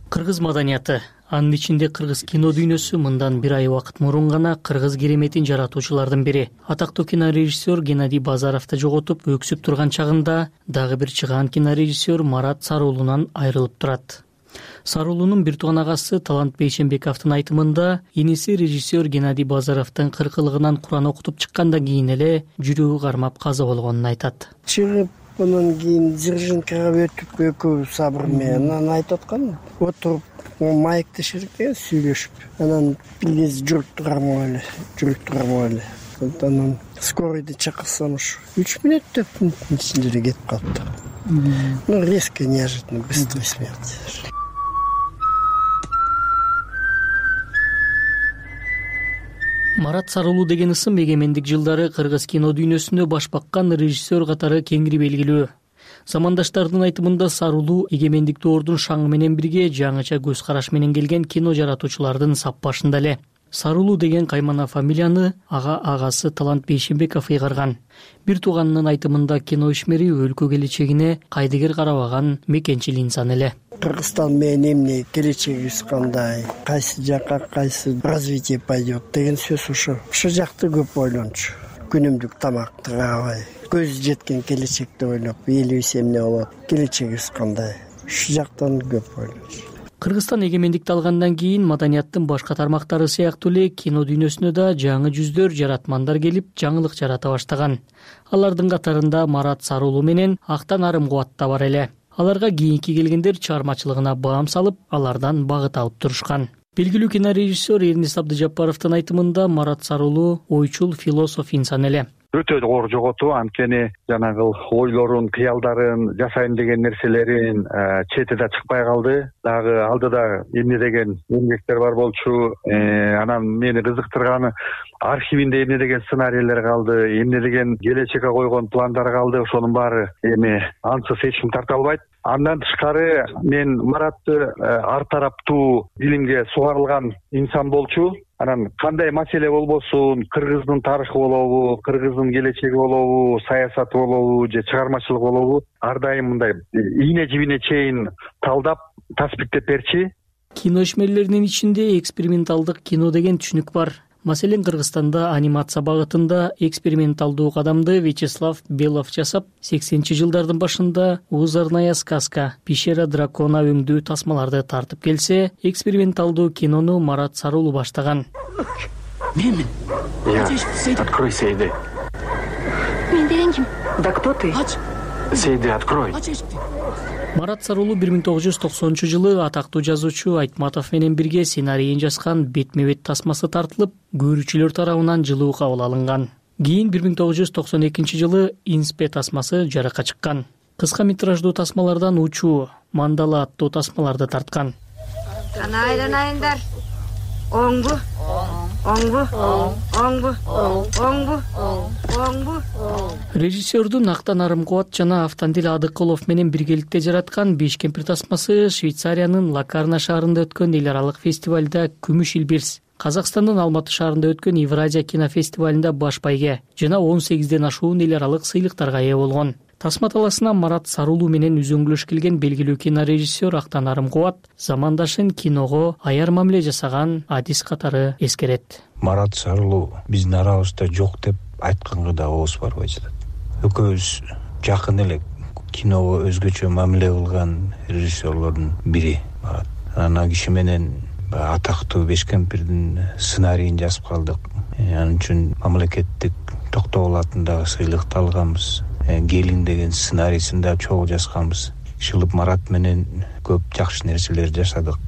Кыргыз маданияты, анын ичинде кыргыз кино дүйнөсү мындан бир ай убакыт мурун гана кыргыз кереметин жаратуучулардын бири, атактуу кинорежиссер Геннадий Базаровду жоготуп өксүп турган чагында дагы бир чыгаан кинорежиссер Марат Сарулуудан айрылып турат. Сарулуунун бир тууган агасы Талант Бейшенбековдун айтымында, иниси режиссер Геннадий Базаровдун 40-ылыгынан Куран окутуп чыккандан кийин эле жүрөгү кармап каза болгонун айтат. Чыгып Анан кийин Дзержинкага өтүп экөөбүз Сабыр менен анан айтып аткан отуруп маектеширик деген сүйлөшүп, анан бир кез жүрүп турармын эле. Анан скоройду чакырсам ушу 3 мүнөт 4 мүнөттүн ичинде эле кетип калыптыр. Ну резко, неожиданно, быстрая смерть. Марат Сарулуу деген ысым эгемендик жылдары кыргыз кино дүйнөсүндө баш баккан режиссер катары кеңири белгилүү. Замандаштардын айтымында Сарулуу эгемендик доордун шаңы менен бирге жаңыча көз караш менен келген кино жаратуучулардын сап башында эле. Сарулуу деген каймана фамилияны агасы Талант Бейшенбеков ыйгарган. Бир тууганынын айтымында кино ишмери өлкө келечегине кайдыгер карабаган мекенчил инсан эле. Кыргызстан менен эмне, келечегибиз кандай, кайсы жакка кайсы развитие пойдет деген сөз ошо жакты көп ойлончу. Күнүмдүк тамакты каабай, көз жеткен келечекти ойлоп, элибиз эмне болот, келечегибиз кандай, ушу жактан көп ойлончу. Кыргызстан эгемендикти алгандан кийин маданияттын башка тармактары сыяктуу эле кино дүйнөсүнө да жаңы жүздөр, жаратмандар келип, жаңылык жарата баштаган. Алардын катарында Марат Сарулуу менен Актан Арымкубат да бар эле. Аларга кийинки келгендер чыгармачылыгына баам салып, алардан багыт алып турушкан. Белгилүү кинорежиссер Эрнис Абдыжаппаровдун айтымында Марат Сарулуу ойчул философ инсан эле. Өтө оор жоготуу, анткени жанагы ойлорун, кыялдарын, жасайм деген нерселерин четиде чыкпай калды. Дагы алдыда эмне деген эмгектер бар болчу. Анан мени кызыктырганы архивинде эмне деген сценарийлер калды, эмне деген келечекке койгон пландар калды. Ошонун баары эми ансыз эч ким тарта албайт. Андан тышкары мен Маратты ар тараптуу билимге сугарылган инсан болчу. Анан кандай маселе болбосун, кыргыздын тарыхы болобу, кыргыздын келечеги болобу, саясаты болобу же чыгармачылык болобу, ар дайым мындай ийне жибине чейин талдап, таспиктеп берчи. Кино ишмерлеринин ичинде эксперименталдык кино деген түшүнүк бар. Маселен, Кыргызстанда анимация багытында эксперименталдуу кадамды Вячеслав Белов жасап, 80-жылдардын башында «Узорная сказка», «Пещера дракона» өңдүү тасмаларды тартып келсе, эксперименталдуу кинону Марат Сарулуу баштаган. Мен. Открой Сейди. Мен деген ким? Да кто ты? Сейди, открой. Марат Сарулуу 1990-жылы атактуу жазуучу Айтматов менен бирге сценарийин жазган «Бетме-бет» тасмасы тартылып, көрүүчүлөр тарабынан жылуу кабыл алынган. Кийин 1992-жылы «Инспе» тасмасы жарыкка чыккан. Кыска метраждуу тасмалардан «Учуу», «Мандала» аттуу тасмаларды тарткан. Айданайындар. Оңбу. Режиссердун Актан Арымкубат жана Автандил Адыкулов менен биргеликте жараткан «Беш кемпир» тасмасы Швейцариянын Лакарна шаарында өткөн эл аралык фестивалда күмүш илбирс, Казакстандын Алматы шаарында өткөн Евразия кинофестивалында баш байге жана 18ден ашуун эл аралык сыйлыктарга ээ болгон. Тасма таласына Марат Сарулуу менен үзөңгүлөш келген белгилүү кинорежиссер Актан Арымкубат замандашын киного аяр мамиле жасаган адис катары эскерет. Марат Сарулуу биздин арабызда жок деп айтканга да ооз барбай жатат. Экөөбүз жакын эле киного өзгөчө мамиле кылган режиссерлордун бири Марат. Анан киши менен атактуу «Беш кемпирдин» сценарийин жазып калдык. Анын үчүн мамлекеттик Токтогул атындагы сыйлыкты алганбыз. Келин деген сценарийсин да чогуу жазганбыз. Шылып Марат менен көп жакшы нерселер жашадык.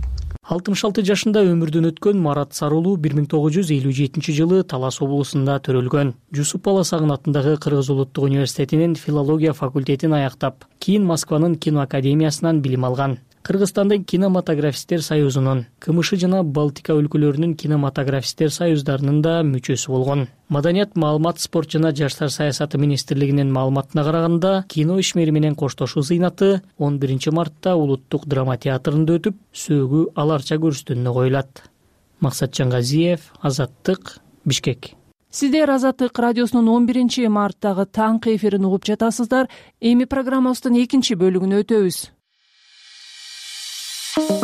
66 жашында өмүрдөн өткөн Марат Сарулуу 1957-жылы Талас облусунда төрөлгөн. Жусуп Баласагын атындагы Кыргыз улуттук университетинин филология факультетин аяктап, кийин Москванын кино академиясынан билим алган. Кыргызстандын кинематографисттер союзунун, КМШ жана Балтика өлкөлөрүнүн кинематографисттер союздарынын да мүчөсү болгон. Маданият, маалымат, спорт жана жаштар саясаты министрлигинин маалыматына караганда, кино ишмери менен коштошуу зыйнаты 11 мартта Улуттук драма театрында өтүп, сөөгү аларча көрүстүүнү коюлат. Максатжан Газиев, Азаттык, Бишкек. Сиздер Азаттык радиосунун 11 марттагы таңкы эфирин угуп жатасыздар. Эми программабыздын экинчи бөлүгүнө өтөбүз.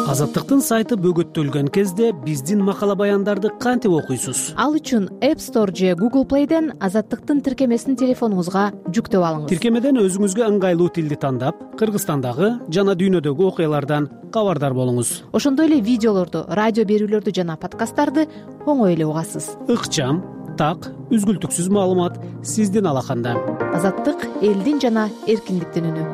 Азаттыктын сайты бөгөттөлгөн кезде биздин макала баяндарды кантип окуйсуз? Ал үчүн App Store же Google Play'ден Азаттыктын тиркемесин телефонуңузга жүктөп алыңыз. Тиркемеден өзүңүзгө ыңгайлуу тилди тандап, Кыргызстандагы жана дүйнөдөгү окуялардан кабардар болуңуз. Ошондой эле видеолорду, радио берүүлөрдү жана подкасттарды оңой эле угасыз. Ыкчам, так, үзгүлтүксүз маалымат сиздин алаканда. Азаттык — элдин жана эркиндиктин үнү.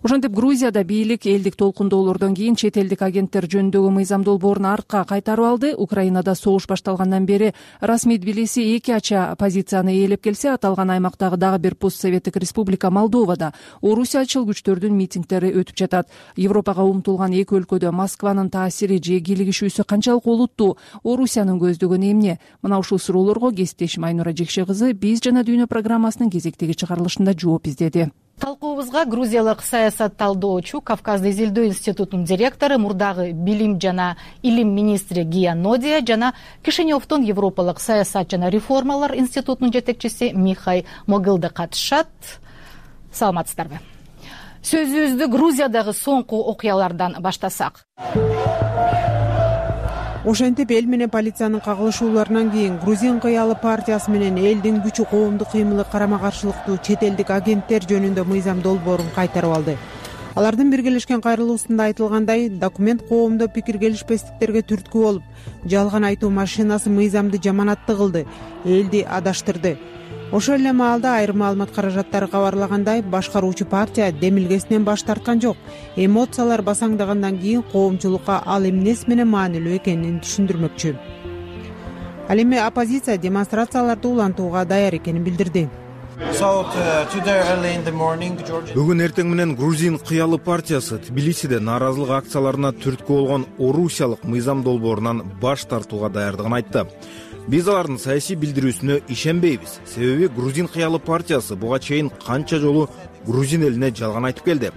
Ошентип Грузияда бийлик элдик толкундоолордон кийин чет элдик агенттер жөнүндөгү мыйзам долбоорун артка кайтарып алды. Украинада согуш башталгандан бери расмий Тбилиси эки ача позицияны ээлеп келсе, аталган аймактагы дагы бир постсоветтик республика Молдовада орусиячыл күчтөрдүн митингдери өтүп жатат. Европага умтулган эки өлкөдө Москванын таасири же кийлигишүүсү канчалык олуттуу? Орусиянын көздөгөнү эмне? Мына ушул суроолорго кесиптешим Айнура Жекше кызы «Биз жана дүйнө» программасынын кезектеги чыгарылышында жооп издеди. Талкуубузга грузиялык саясат талдоочу, Кавказды изилдөө институтунун директору, мурдагы билим жана илим министри Гия Нодия жана Кишиневдон Европалык саясат жана реформалар институтунун жетекчиси Михай Могилде катышат. Саламатсыздарбы? Сөзүбүздү Грузиядагы соңку окуялардан баштасак. Ошентип эл менен полициянын кагылышууларынан кийин Грузин кыялы партиясы менен элдин күчү коомдук кыймылы карама-каршылыктуу чет элдик агенттер жөнүндө мыйзам долбоорун кайтарып алды. Алардын биргелешкен кайрылуусунда айтылгандай, документ коомдо пикир келишпестиктерге түрткү болуп, жалган айтуу машинасы мыйзамды жаманаттуу кылды, элди адаштырды. Ошол эле маалда айрым маалымат каражаттары кабарлагандай, башкаруучу партия демилгесинен баш тарткан жок. Эмоциялар басаңдагандан кийин коомчулукка ал эмнеси менен маанилүү экенин түшүндүрмөкчү. Ал эми оппозиция демонстрацияларды улантууга даяр экенин билдирди. Бүгүн эртең менен Грузин кыялы партиясы Тбилисиде нааразылык акцияларына түрткү болгон орусиялык мыйзам долбоорунан баш тартууга даярдыгын айтты. Биз алардын саясий билдирүүсүнө ишенбейбиз. Себеби Грузин кыялы партиясы буга чейин канча жолу Грузин элине жалган айтып келди.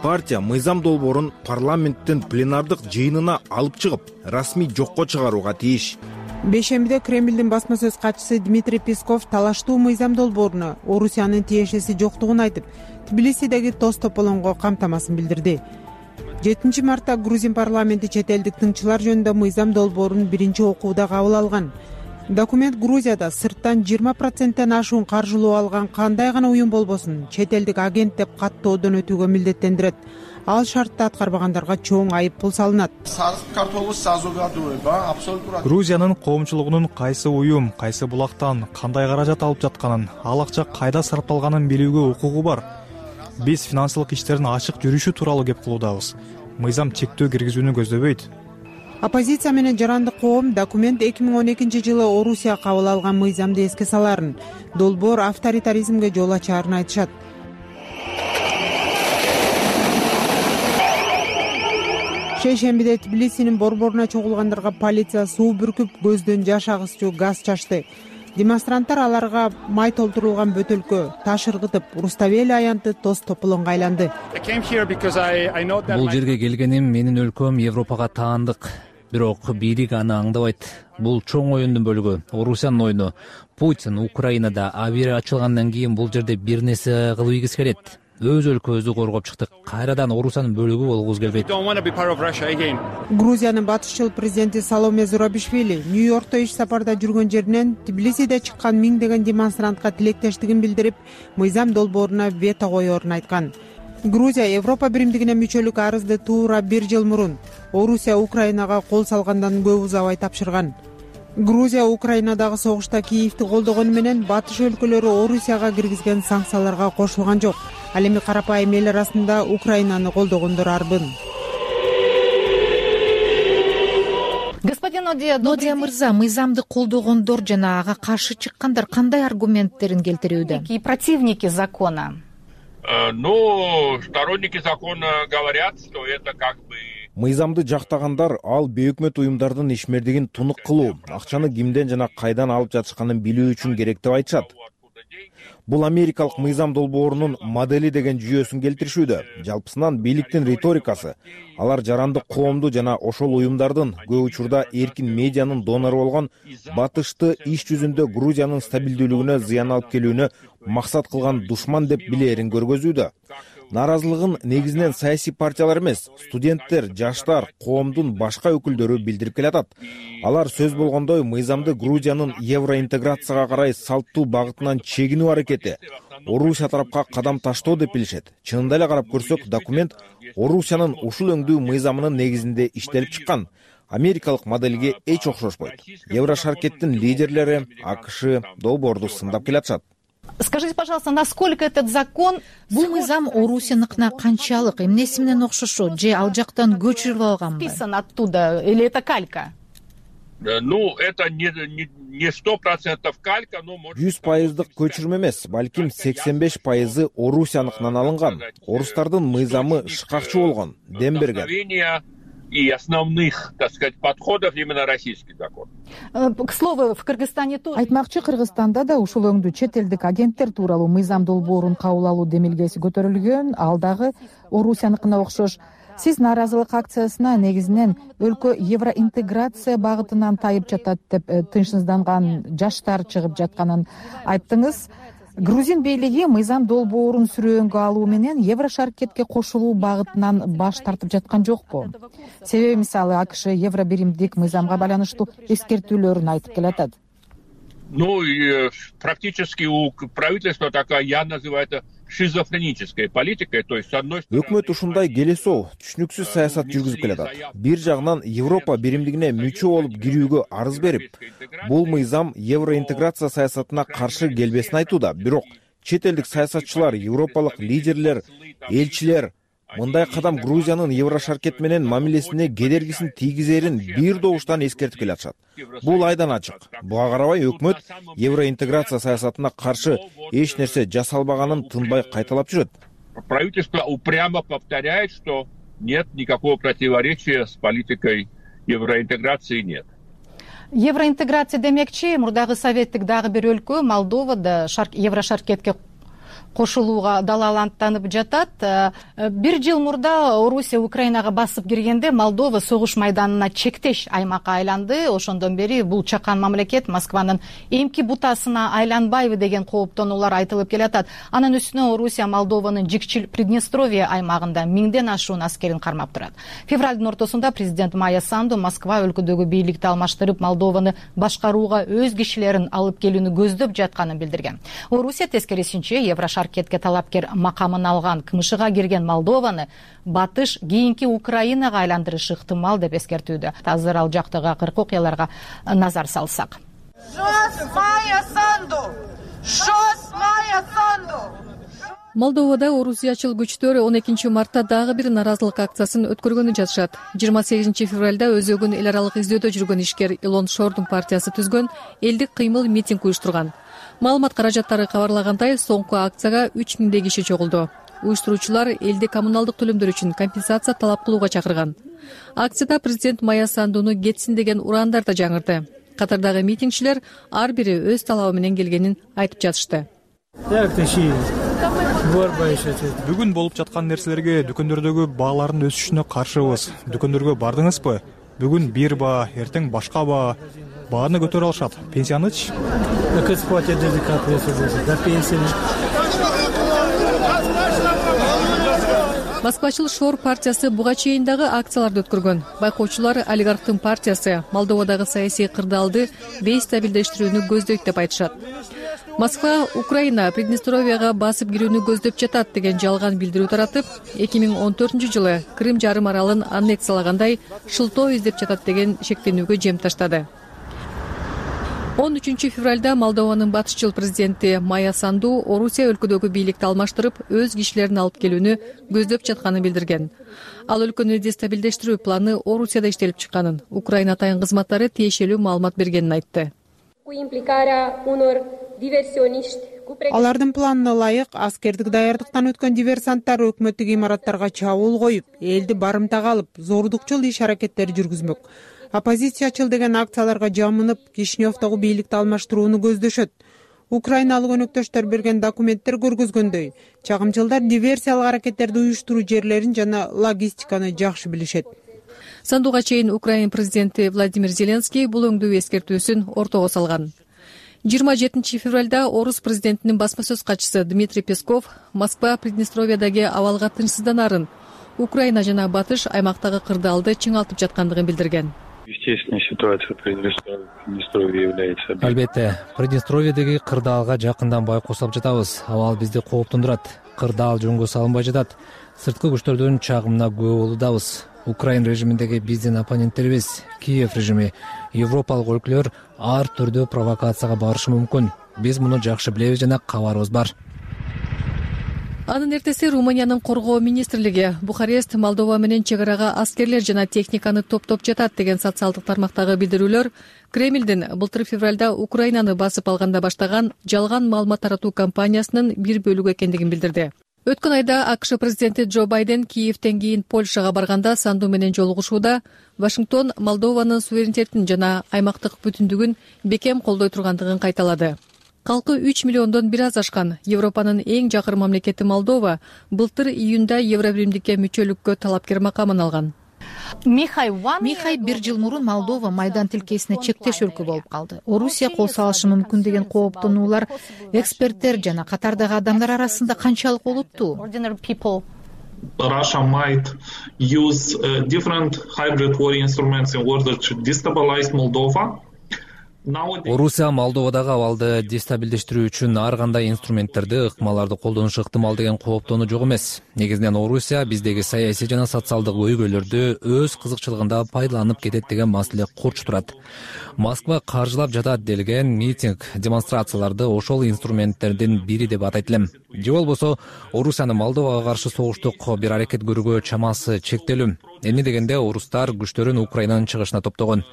Партия мыйзам долбоорун парламенттин пленардык жыйынына алып чыгып, расмий жокко чыгарууга тийиш. Бейшембиде Кремлдин басма сөз катчысы Дмитрий Песков талаштуу мыйзам долбооруна Орусиянын тиешеси жоктугун айтып, Тбилисидеги тоз тополоңго камтамасын билдирди. 7 мартта Грузин парламенти чет элдик тыңчылар жөнүндө мыйзам долбоорун биринчи окууда кабыл алган. Документ Грузияда сырттан 20%тен ашуун каржылоо алган кандай гана уюм болбосун, чет элдик агент деп каттоодон өтүүгө милдеттендирет. Ал шартты аткарбагандарга чоң айып пул салынат. Грузиянын коомчулугунун кайсы уюм, кайсы булактан кандай каражат алып жатканын, ал акча кайда сарпталганын билүүгө укугу бар. Биз финансылык иштердин ачык жүрүшү тууралуу кеп кылуудабыз. Мыйзам чектөө киргизүүнү көздөбөйт. Оппозиция менен жарандык коом документ 2012 жылы Орусия кабыл алган мыйзамды эске саларын, долбоор авторитаризмге жол ачаарын айтышат. Шейшембиде Тбилисинин борборуна чогулгандарга полиция суу бүркүп, көздөн жаш агызчу газ чачты. Демонстранттар аларга май толтурулган бөтөлкө, таш ыргытып, Руставели аянты тоз тополоңго айланды. Бул жерге келгеним менин өлкөм Европага таандык. Бирок бийлик аны аңдабайт. Бул чоң оюндун бөлүгү, Орусиянын оюну. Путин Украинада авиа ачылгандан кийин бул жерде бир нерсе кылып келет. Өз өлкөбүздү коргоп чыктык. Кайрадан Орусиянын бөлүгү болгубуз келбейт. Грузиянын батышчыл президенти Саломе Зурабишвили Нью-Йоркто иш сапарда жүргөн жеринен Тбилисиде чыккан миңдеген демонстрантка тилектештигин билдирип, мыйзам долбооруна вето коерун айткан. Грузия Европа биримдигине мүчөлүк арызды туура 1 жыл мурун Орусия Украинага кол салгандан көп узабай тапшырган. Грузия Украинадагы согушта Киевди колдогону менен батыш өлкөлөрү Орусияга киргизген санкцияларга кошулган жок. Ал эми карапайым эл арасында Украинаны колдогондор арбын. Господин Нодия мырза, мыйзамды колдогондор жана ага каршы чыккандар кандай аргументтерин келтирүүдө? И противники закона. Сторонники закона говорят, что это как бы Мыйзамды жактагандар ал бейөкмөт уюмдардын ишмердигин тунук кылуу, акчаны кимден жана кайдан алып жатышканын билүү үчүн керек деп айтышат. Бул америкалык мыйзам долбоорунун модели деген жүйөсүн келтиришүүдө. Жалпысынан бийликтин риторикасы алар жарандык коомду жана ошол уюмдардын көп учурда эркин медианын донору болгон батышты иш жүзүндө Грузиянын стабилдүүлүгүнө зыян алып келүүнү максат кылган душман деп билерин көргөзүүдө. Нааразылыгын негизинен саясий партиялар эмес, студенттер, жаштар, коомдун башка өкүлдөрү билдирип келатат. Алар сөз болгондой мыйзамды Грузиянын евроинтеграцияга карай салттуу багытынан чегинүү аракети, Орусия тарапка кадам таштоо деп билишет. Чынында эле карап көрсөк, документ Орусиянын ушул өңдүү мыйзамынын негизинде иштелип чыккан. америкалык моделге эч окшошпойт. Еврошаркеттин лидерлери АКШ долбоорду сындап келатышат. Скажите, пожалуйста, насколько этот закон... Бул мыйзам Орусияныкына канчалык, эмнеси менен окшошот, же ал жактан көчүрүлүп алганбы? Списан оттуда, или это калька? Ну, это не 100% калька, но... 100% көчүрмө эмес, балким 85% Орусияныкынан алынган. Орустардын мыйзамы шыкакчы болгон, дем берген. И основных, так сказать, подходов именно российский закон. К слову, в Кыргызстане тоже... Айтмакчы, Кыргызстанда да ушул өңдүү чет элдик агенттер тууралуу мыйзам долбоорун кабыл алуу демилгеси көтөрүлгөн. Ал дагы Орусияныкына окшош. Сиз нааразылык акциясына негизинен өлкө евроинтеграция багытынан тайып жатат деп тынчсызданган жаштар чыгып жатканын айттыңыз. Грузин бийлиги мыйзам долбоорун сүрөөнгө алуу менен Еврошаркетке кошулуу багытынан баш тартып жаткан жокпу? Себеби мисалы АКШ евробиримдик мыйзамга байланыштуу эскертүүлөрүн айтып келатат. Ну, практически у правительства такая, я называю это шизофренической политикой, то есть с одной стороны... Өкмөт ушундай келесоо, түшүнүксүз саясат жүргүзүп келатат. Бир жагынан Европа биримдигине мүчө болуп кирүүгө арыз берип, бул мыйзам евроинтеграция саясатына каршы келбесин айтууда. Бирок чет элдик саясатчылар, европалык лидерлер, элчилер мындай кадам Грузиянын Еврошаркет менен мамилесине кедергисин тийгизерин бир добуштан эскертип келатышат. Бул айдан ачык. Буга карабай өкмөт евроинтеграция саясатына каршы эч нерсе жасалбаганын тынбай кайталап жүрөт. Правительство упрямо повторяет, что нет никакого противоречия с политикой евроинтеграции, нет. Евроинтеграция демекчи, мурдагы советтик дагы бир өлкө Молдовада Еврошаркетке кошулууга далаланып жатат. Бир жыл мурда Орусия Украинага басып киргенде Молдова согуш майданына чектеш аймакка айланды. Ошондон бери бул чакан мамлекет Москванын эмки бутасына айланбайбы деген кооптонуулар айтылып келатат. Анын үстүнө Орусия Молдованын Жикчил Приднестровье аймагында 1000ден ашуун аскерин кармап турат. Февралдын ортосунда президент Майя Санду Москва өлкөдөгү бийликти алмаштырып, Молдованы башкарууга өз кишилерин алып келүүнү көздөп жатканын билдирген. Орусия тескерисинче Еврошаркетке талапкер макамын алган КМШга кирген Молдованы батыш кийинки Украинага айландырышы ыктымал деп эскертүүдө. Азыр ал жактагы акыркы окуяларга назар салсак. Молдовада орусиячыл күчтөр 12 мартта дагы бир наразылык акциясын өткөргөнү жатышат. 28 февралда өзөгүн эл аралык издөөдө жүргөн ишкер Илон Шордун партиясы түзгөн элдик кыймыл митинг уюштурган. Маалымат каражаттары кабарлагандай, соңку акцияга 3000 киши чогулду. Уюштуруучулар элди коммуналдык төлөмдөр үчүн компенсация талап кылууга чакырган. Акцияда президент Майя Сандуну кетсин деген ураандар да жаңырды. Катардагы митингчилер ар бири өз талабы менен келгенин айтып жатышты. Бүгүн болуп жаткан нерселерге дүкөндөрдөгү баалардын өсүшүнө каршыбыз. Дүкөндөргө бардыңызбы? Бүгүн бир баа, эртең башка баа. Бааны көтөрө алышат. Пенсиянычы? Москвачыл Шор партиясы буга чейин дагы акцияларды өткөргөн. Байкоочулар олигархтын партиясы Молдовадагы саясий кырдаалды бейстабилдештирүүнү көздөйт деп айтышат. Москва Украина Приднестровияга басып кирүүнү көздөп жатат деген жалган билдирүү таратып, 2014-жылы Крым жарым аралын аннексиялагандай шылтоо издеп жатат деген шектенүүгө жем таштады. 13 февралда Молдованын батышчыл президенти Майя Санду Орусия өлкөдөгү бийликти алмаштырып, өз кишилерин алып келүүнү көздөп жатканын билдирген. Ал өлкөнү дестабилдештирүү планы Орусияда иштелип чыкканын, Украина атайын кызматтары тиешелүү маалымат бергенин айтты. Алардын планына ылайык аскердик даярдыктан өткөн диверсанттар өкмөттүк имараттарга чабуул коюп, элди барымтага алып, зордукчул иш-аракеттер жүргүзмөк. Оппозициячыл деген акцияларга жамынып, Кишиневдогу бийликти алмаштырууну көздөшөт. Украиналык өнөктөштөр берген документтер көргөзгөндөй, чагымчылдар диверсиялык аракеттерди уюштуруу жерлерин жана логистиканы жакшы билишет. Сандуга чейин Украина президенти Владимир Зеленский бул өңдүү эскертүүсүн ортого салган. 27 февралда орус президентинин басма сөз катчысы Дмитрий Песков Москва Приднестровьядагы абалга тынчсызданарын, Украина жана батыш аймактагы кырдаалды чыңалтып жаткандыгын билдирген. Естественная ситуация Приднестровье является. Албетте, Приднестровьедеги кырдаалга жакындан байкосуп жатабыз. Абал бизди кооптондурат. Кырдаал жөнгө салынбай жатат. Сырткы күчтөрдүн чагымына күбө болуудабыз. Украин режиминдеги биздин оппоненттерибиз, Киев режими, Европалык өлкөлөр ар түрдүү провокацияга барышы мүмкүн. Биз муну жакшы билебиз жана кабарыбыз бар. Анын эртеси Румыниянын коргоо министрлиги Бухарест Молдова менен чек арага аскерлер жана техниканы топтоп жатат деген социалдык тармактагы билдирүүлөр Кремлдин былтыр февралда Украинаны басып алганда баштаган жалган маалымат таратуу кампаниясынын бир бөлүгү экендигин билдирди. Өткөн айда АКШ президенти Джо Байден Киевтен кийин Польшага барганда Санду менен жолугушууда Вашингтон Молдованын суверенитетин жана аймактык бүтүндүгүн бекем колдой тургандыгын кайталады. Калкы 3 миллиондон бир аз ашкан Европанын эң жакын мамлекети Молдова былтыр июнда Евробиримдикке мүчөлүккө талапкер макамын алган. Михай бир жыл мурун Молдова майдан тилкесине чектеш өлкө болуп калды. Орусия кол салышы мүмкүн деген кооптонуулар эксперттер жана катардагы адамдар арасында канчалык олуттуу? Russia might use different hybrid war instruments in order to destabilize Moldova. Орусия Молдовадагы абалды дестабилдештирүү үчүн ар кандай инструменттерди, ыкмаларды колдонушу ыктымал деген кооптонуу жок эмес. Негизинен Орусия биздеги саясий жана социалдык көйгөйлөрдү өз кызыкчылыгында пайдаланып кетет деген маселе курч турат. Москва каржылап жатат делген митинг, демонстрацияларды ошол инструменттердин бири деп атайт элем. Же болбосо Орусиянын Молдовага каршы согуштук бир аракет көрүүгө чамасы чектелүү. Эмне дегенде орустар күчтөрүн Украинанын чыгышына топтогон.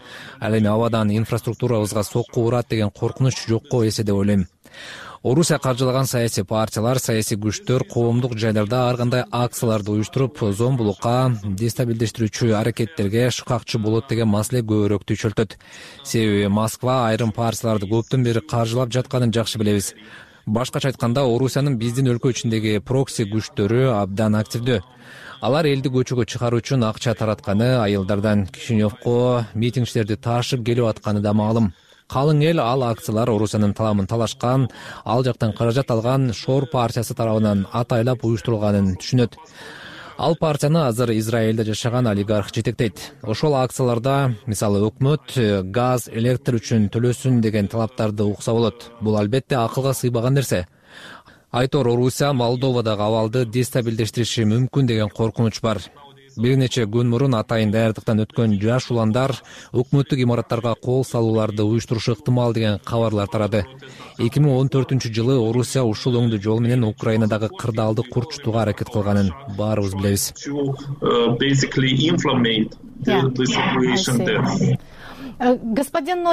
Ал эми абадан инфраструктурабызга сокку урат деген коркунуч жокко эсе деп ойлойм. Орусия каржылаган саясий партиялар, саясий күчтөр коомдук жайларда ар кандай акцияларды уюштуруп, зомбулукка, дестабилдештирүүчү аракеттерге шыкакчы болот деген маселе көбүрөөк түйшөлтөт. Себеби Москва айрым партияларды көптөн бери каржылап жатканын жакшы билебиз. Башкача айтканда, Орусиянын биздин өлкө ичиндеги прокси күчтөрү абдан активдүү. Алар элди көчөгө чыгаруу үчүн акча таратканы, айылдардан Кишиневко митингчилерди ташып келип атканы да маалым. Калың эл ал акциялар Орусиянын таламын талашкан, ал жактан каражат алган Шор партиясы тарабынан атайлап уюштурулганын түшүнөт. Ал партияны азыр Израилде жашаган олигарх жетектейт. Ошол акцияларда, мисалы, өкмөт газ, электр үчүн төлөсүн деген талаптарды укса болот. Бул албетте акылга сыйбаган нерсе. Айтор Орусия Молдовадагы абалды дестабилдештириши мүмкүн деген коркунуч бар. Бир нече күн мурун атайын даярдыктан өткөн жаш уландар өкмөттүк имараттарга кол салууларды уюштурушу ыктымал деген кабарлар тарады. 2014-жылы Орусия ушул өңдүү жол менен Украинадагы кырдаалды курчутууга аракет кылганын баарыбыз билебиз. Господин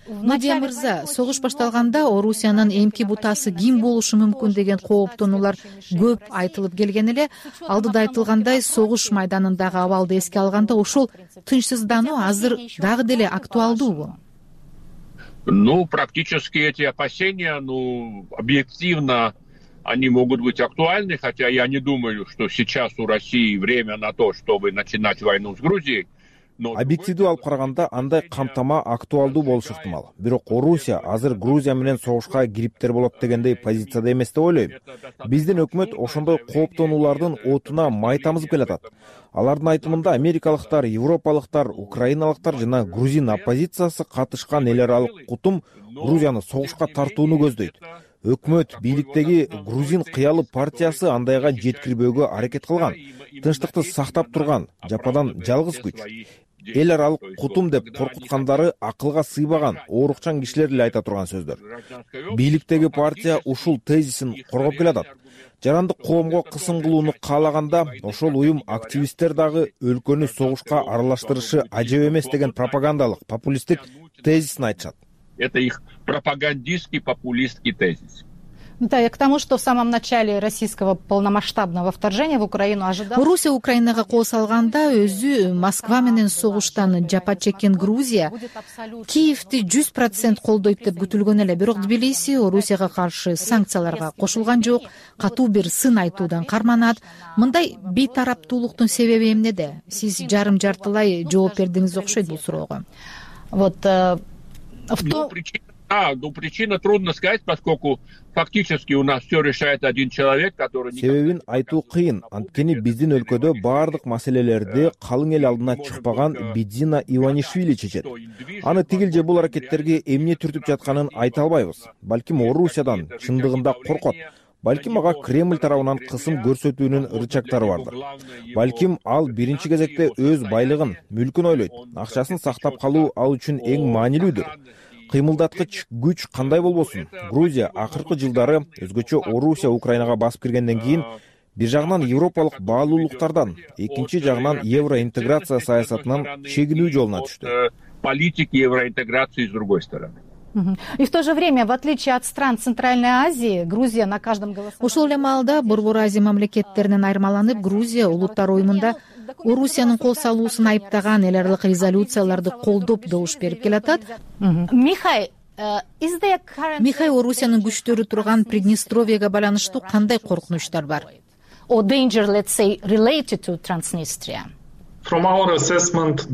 Нодия мырза, согуш башталганда Орусиянын эмки бутасы ким болушу мүмкүн деген кооптонуулар көп айтылып келген эле. Алдыда айтылгандай, согуш майданындагы абалды эске алганда ушул тынчсыздануу азыр дагы деле актуалдуубу? Практически эти опасения, объективно они могут быть актуальны, хотя я не думаю, что сейчас у России время на то, чтобы начинать войну с Грузией. Объективдүү алып караганда андай камтама актуалдуу болушу ыктымал. Бирок Орусия азыр Грузия менен согушка кириптер болот дегендей позицияда эмес деп ойлойм. Биздин өкмөт ошондой кооптонуулардын отуна май тамызып келатат. Алардын айтымында америкалыктар, европалыктар, украиналыктар жана грузин оппозициясы катышкан эл аралык кутум Грузияны согушка тартууну көздөйт. Өкмөт бийликтеги грузин кыялы партиясы андайга жеткирбөөгө аракет кылган. Тынчтыкты сактап турган жападан жалгыз күч. Эл аралык кутум деп коркуткандары акылга сыйбаган, оорукчан кишилер эле айта турган сөздөр. Бийликтеги партия ушул тезисин коргоп келатат. Жарандык коомго кысым кылууну каалаганда, ошол уюм активисттер дагы өлкөнү согушка аралаштырышы ажеп эмес деген пропагандалык, популисттик тезисин айтышат. Это их пропагандистский, популистский тезис. Да, и к тому, что в самом начале российского полномасштабного вторжения в Украину ожидал... Орусия Украинага кол салганда өзү Москва менен согуштан жапа чеккен Грузия Киевти 100% колдойт деп күтүлгөн эле. Бирок Тбилиси Орусияга каршы санкцияларга кошулган жок, катуу бир сын айтуудан карманат. Мындай бейтараптуулуктун себеби эмнеде? Сиз жарым-жартылай жооп бердиңиз окшойт бул суроого. Причина трудно сказать, поскольку фактически у нас все решает один человек, который... Себебин айтуу кыйын. Анткени биздин өлкөдө баардык маселелерди калың эл алдына чыкпаган Бидзина Иванишвили чечет. Аны тигил же бул аракеттерге эмне түртүп жатканын айта албайбыз. Балким Орусиядан чындыгында коркот. балким ага Кремль тарабынан кысым көрсөтүүнүн рычагдары бардыр. Балким ал биринчи кезекте өз байлыгын, мүлкүн ойлойт. Акчасын сактап калуу ал үчүн эң маанилүүдүр. Кыймылдаткыч күч кандай болбосун, Грузия акыркы жылдары өзгөчө Орусия Украинага басып киргенден кийин бир жагынан европалык баалуулуктардан, экинчи жагынан евроинтеграция саясатынан чегинүү жолуна түштү. Политики евроинтеграции с другой стороны. И в то же время, в отличие от стран Центральной Азии, Грузия на каждом голосовании... Ошол эле маалда Борбор Азия мамлекеттеринен айырмаланып, Грузия улуттар уюмунда Орусиянын кол салуусун айыптаган эл аралык резолюцияларды колдоп добуш берип келатат. Михай, Орусиянын күчтөрү турган Приднестровьеге байланыштуу кандай коркунучтар бар? Or danger, let's say, related to Transnistria? From our assessment,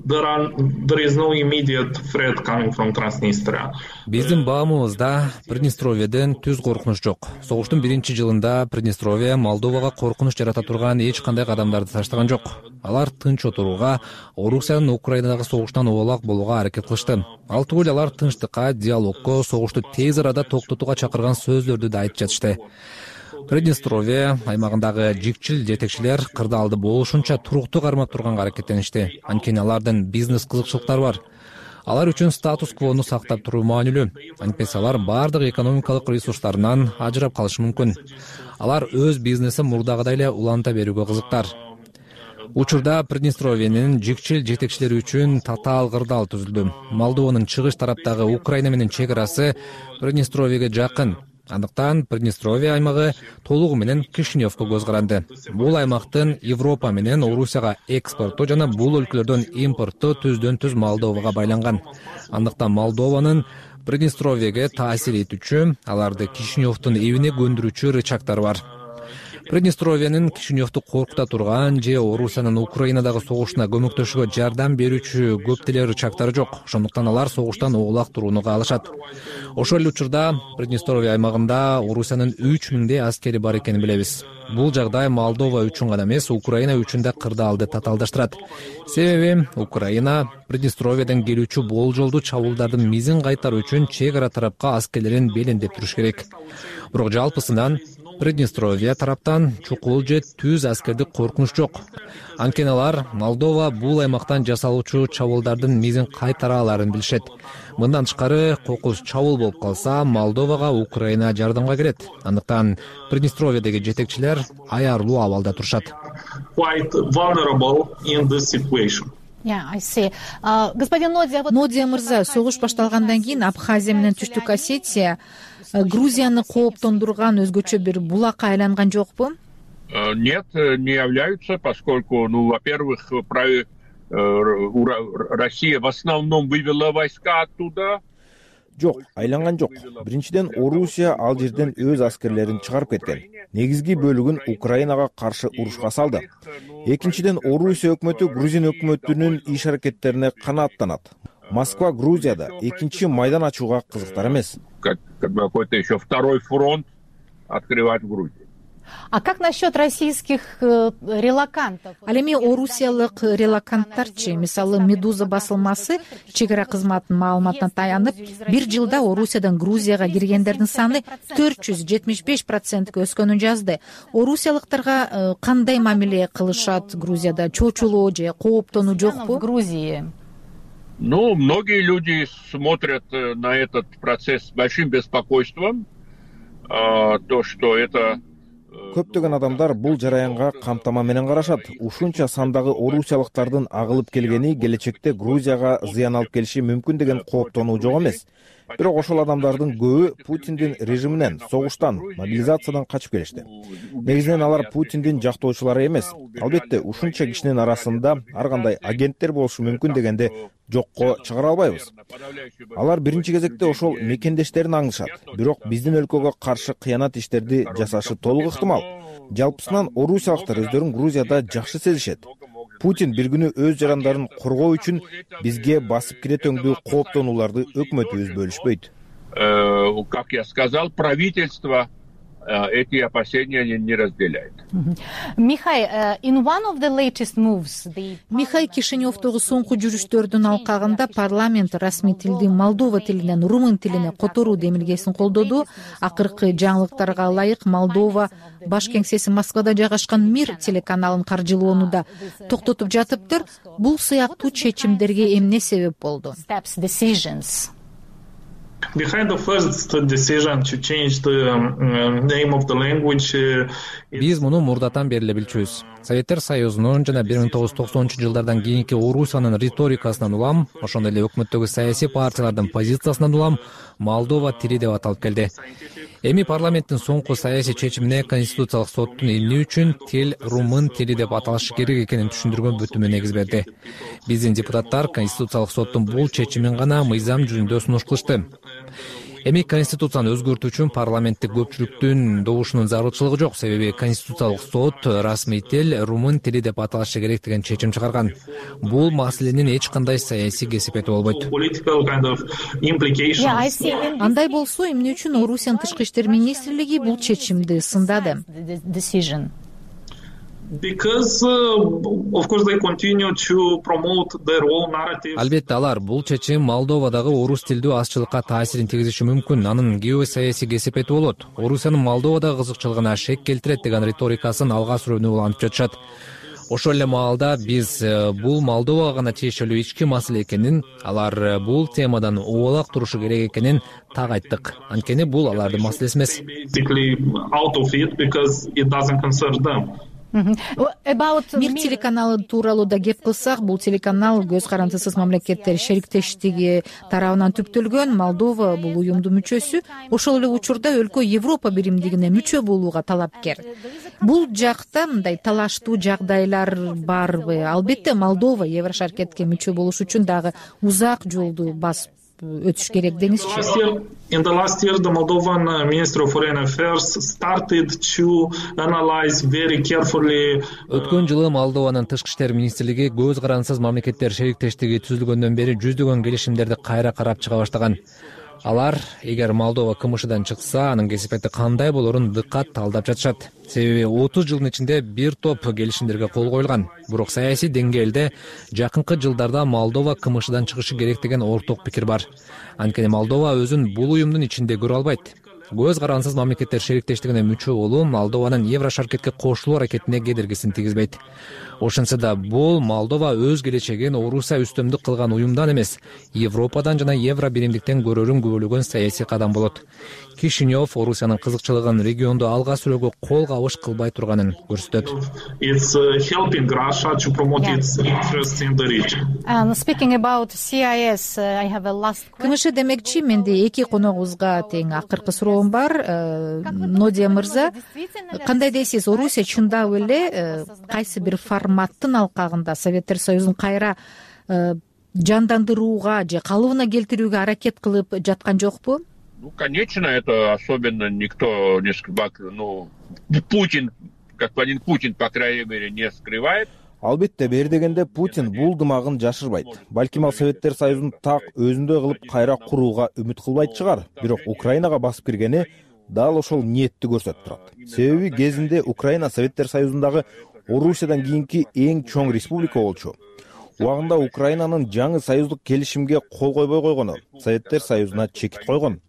there is no immediate threat coming from Transnistria. Биздин баамыбызда Приднестровьеден түз коркунуч жок. Согуштун биринчи жылында Приднестровье Молдовага коркунуч жарата турган эч кандай кадамдарды таштаган жок. Алар тынч отурууга, Орусиянын Украинадагы согуштан убалак болууга аракет кылышты. Ал түгүл алар тынчтыкка, диалогко, согушту тез арада токтотууга чакырган сөздөрдү да айтып жатышты. Приднестровье аймагындагы жикчил жетекчилер кырдаалды болушунча туруктуу кармап турганга аракеттеништи. Анткени алардын бизнес кызыкчылыктары бар. Алар үчүн статус-квону сактап туруу маанилүү. Антпесе алар бардык экономикалык ресурстарынан ажырап калышы мүмкүн. Алар өз бизнесин мурдагыдай эле уланта берүүгө кызыктар. Учурда Приднестровьенин жикчил жетекчилери үчүн татаал кырдаал түзүлдү. Молдованын чыгыш тараптагы Украина менен чек арасы Приднестровьеге жакын. Андыктан Приднестровье аймагы толугу менен Кишиневко көз каранды. Бул аймактын Европа менен Орусияга экспорту жана бул өлкөлөрдөн импортту түздөн-түз Молдовага байланган. Андыктан Молдованын Приднестровьеге таасир этүүчү, аларды Кишиневдун эбине көндүрүүчү рычагдары бар. Приднестровьенин Кишиневду коркута турган же Орусиянын Украинадагы согушуна көмөктөшүүгө жардам берүүчү көп деле рычагдары жок. Ошондуктан алар согуштан оолак турууну каалашат. Ошол эле учурда Приднестровье аймагында Орусиянын 3000 аскери бар экенин билебиз. Бул жагдай Молдова үчүн гана эмес, Украина үчүн да кырдаалды татаалдаштырат. Себеби Украина Приднестровьеден келүүчү болжолдуу чабуулдардын мизин кайтаруу үчүн чек ара тарапка аскерлерин белиндеп туруш керек. Бирок жалпысынан Приднестровье тараптан чукул же түз аскердик коркунуч жок. Анткени алар Молдова бул аймактан жасалуучу чабуулдардын мизин кайтара аларын билишет. Мындан тышкары кокус чабуул болуп калса, Молдовага Украина жардамга келет. Андыктан Приднестровьедеги жетекчилер аярлуу абалда турушат. Quite vulnerable in this situation. Господин Нодия мырза, согуш башталгандан кийин Абхазия менен Түштүк Осетия Грузияны кооптондурган өзгөчө бир булакка айланган жокпу? Нет, не являются, поскольку, во-первых, Россия в основном вывела войска оттуда. Жок, айланган жок. Биринчиден, Орусия ал жерден өз аскерлерин чыгарып кеткен. Негизги бөлүгүн Украинага каршы урушка салды. Экинчиден, Орусия өкмөтү Грузин өкмөтүнүн иш аракеттерине канааттанат. Москва Грузияда экинчи майдан ачууга кызыктар эмес. Какой-то еще второй фронт открывать в Грузии. А как насчет российских релакантов? Ал эми орусиялык релаканттарчы, мисалы Медуза басылмасы чек ара кызматынын маалыматына таянып, бир жылда Орусиядан Грузияга киргендердин саны 475%ке өскөнүн жазды. Орусиялыктарга кандай мамиле кылышат Грузияда? Чочулоо же кооптонуу жокпу? В Грузии. Многие люди смотрят на этот процесс с большим беспокойством. То, что это... Көптөгөн адамдар бул жараянга камтама менен карашат. Ушунча сандагы орусиялыктардын агылып келгени келечекте Грузияга зыян алып келиши мүмкүн деген кооптонуу жок эмес. Бирок ошол адамдардын көбү Путиндин режиминен, согуштан, мобилизациядан качып келишти. Негизинен алар Путиндин жактоочулары эмес. Албетте, ушунча кишинин арасында ар кандай агенттер болушу мүмкүн дегенде жокко чыгара албайбыз. Алар биринчи кезекте ошол мекендештерин аңдышат. Бирок биздин өлкөгө каршы кыянат иштерди жасашы толук ыктымал. Жалпысынан орусиялыктар өздөрүн Грузияда жакшы сезишет. Путин бир күнү өз жарандарын коргоо үчүн бизге басып кире төңдүү кооптонууларды өкмөтүбүз бөлүшпөйт. Как я сказал, правительство эти опасения не разделяет. Михай Кишиневдогу соңку жүрүштөрдүн алкагында парламент расмий тилди Молдова тилинен румын тилине которуу демилгесин колдоду. Акыркы жаңылыктарга ылайык Молдова баш кеңсеси Москвада жайгашкан Мир телеканалын каржылоону да токтотуп жатыптыр. Бул сыяктуу чечимдерге эмне себеп болду? Behind the first decision to change the name of the language, биз муну мурдатан бери эле билчүбүз. Советтер Союзунун жана 1990-жылдардан кийинки Орусиянын риторикасынан улам, ошондой эле өкмөттөгү саясий партиялардын позициясынан улам Молдова тили деп аталып келди. Эми парламенттин соңку саясий чечимине Конституциялык соттун эмне үчүн тил румын тили деп аталышы керек экенин түшүндүргөн бүтүмү негиз берди. Биздин депутаттар Конституциялык соттун бул чечимин гана мыйзам жүзүндө сунуш кылышты. Эми Конституцияны өзгөртүү үчүн парламенттик көпчүлүктүн добушунун зарылчылыгы жок, себеби Конституциялык сот расмий тил румын тили деп аталышы керек деген чечим чыгарган. Бул маселенин эч кандай саясий кесипети болбойт. Андай болсо, эмне үчүн Орусиянын тышкы иштер министрлиги бул чечимди сындады? Because of course they continue to promote their own narrative. Албетте алар бул чечим Молдовадагы орус тилдүү азчылыкка таасирин тийгизиши мүмкүн. Анын геосаясий кесипети болот. Орусиянын Молдовадагы кызыкчылыгына шек келтирет деген риторикасын алга сүрүүнү улантып жатышат. Ошол эле маалда биз бул Молдовага гана тиешелүү ички маселе экенин, алар бул темадан убалак турушу керек экенин так айттык. Анткени бул алардын маселеси эмес. Мир телеканалы тууралуу да кеп кылсак, бул телеканал көз карандысыз мамлекеттер шериктештиги тарабынан түптөлгөн. Молдова бул уюмдун мүчөсү. Ошол эле учурда өлкө Европа биримдигине мүчө болууга талапкер. Бул жакта мындай талаштуу жагдайлар барбы? Албетте Молдова Еврошаркетке мүчө болуш үчүн дагы узак жолду басып өтүш керек деңизчи. In the last year, the Moldovan Ministry of Foreign Affairs started to analyze very carefully. Өткөн жылы Молдованын тышкы иштер министрлиги көз карандысыз мамлекеттер шериктештиги түзүлгөндөн бери жүздөгөн келишимдерди кайра карап чыга баштаган. Алар, эгер Молдова КМШдан чыкса, анын кесипети кандай болорун дыккат талдап жатышат. Себеби 30 жылдын ичинде бир топ келишимдерге кол коюлган. Бирок саясий деңгээлде жакынкы жылдарда Молдова КМШдан чыгышы керек деген орток пикир бар. Анткени Молдова өзүн бул уюмдун ичинде көрө албайт. Көз карандысыз мамлекеттер шериктештигине мүчө болуу Молдованын Еврошаркетке кошулуу аракетине кедергисин тийгизбейт. Ошентсе да бул Молдова өз келечегин Орусия үстөмдүк кылган уюмдан эмес, Европадан жана Евро биримдиктен көрөрүн күбөлөгөн саясий кадам болот. Кишинев Орусиянын кызыкчылыгын регионду алга сүрөөгө кол кабыш кылбай турганын көрсөтөт. It's helping Russia to promote its interests in the region. Speaking about CIS, I have a last question. КМШ демекчи, менде эки коногубузга тең акыркы суроом бар. Нодия мырза, кандай дейсиз, Орусия чындап эле кайсы бир форматтын алкагында Советтер Союзун кайра жандандырууга же калыбына келтирүүгө аракет кылып жаткан жокпу? Ну, конечно, это особенно никто не скрывает. Ну, Путин, господин Путин, по крайней мере, не скрывает. Албетте, бери дегенде Путин бул дымагын жашырбайт. Балким ал Советтер Союзун так өзүндөй кылып кайра курууга үмүт кылбайт чыгар. Бирок Украинага басып киргени дал ошол ниетти көрсөтүп турат. Себеби кезинде Украина Советтер Союзундагы Орусиядан кийинки эң чоң республика болчу. Убагында Украинанын жаңы союздук келишимге кол койбой койгону Советтер Союзуна чекит койгон.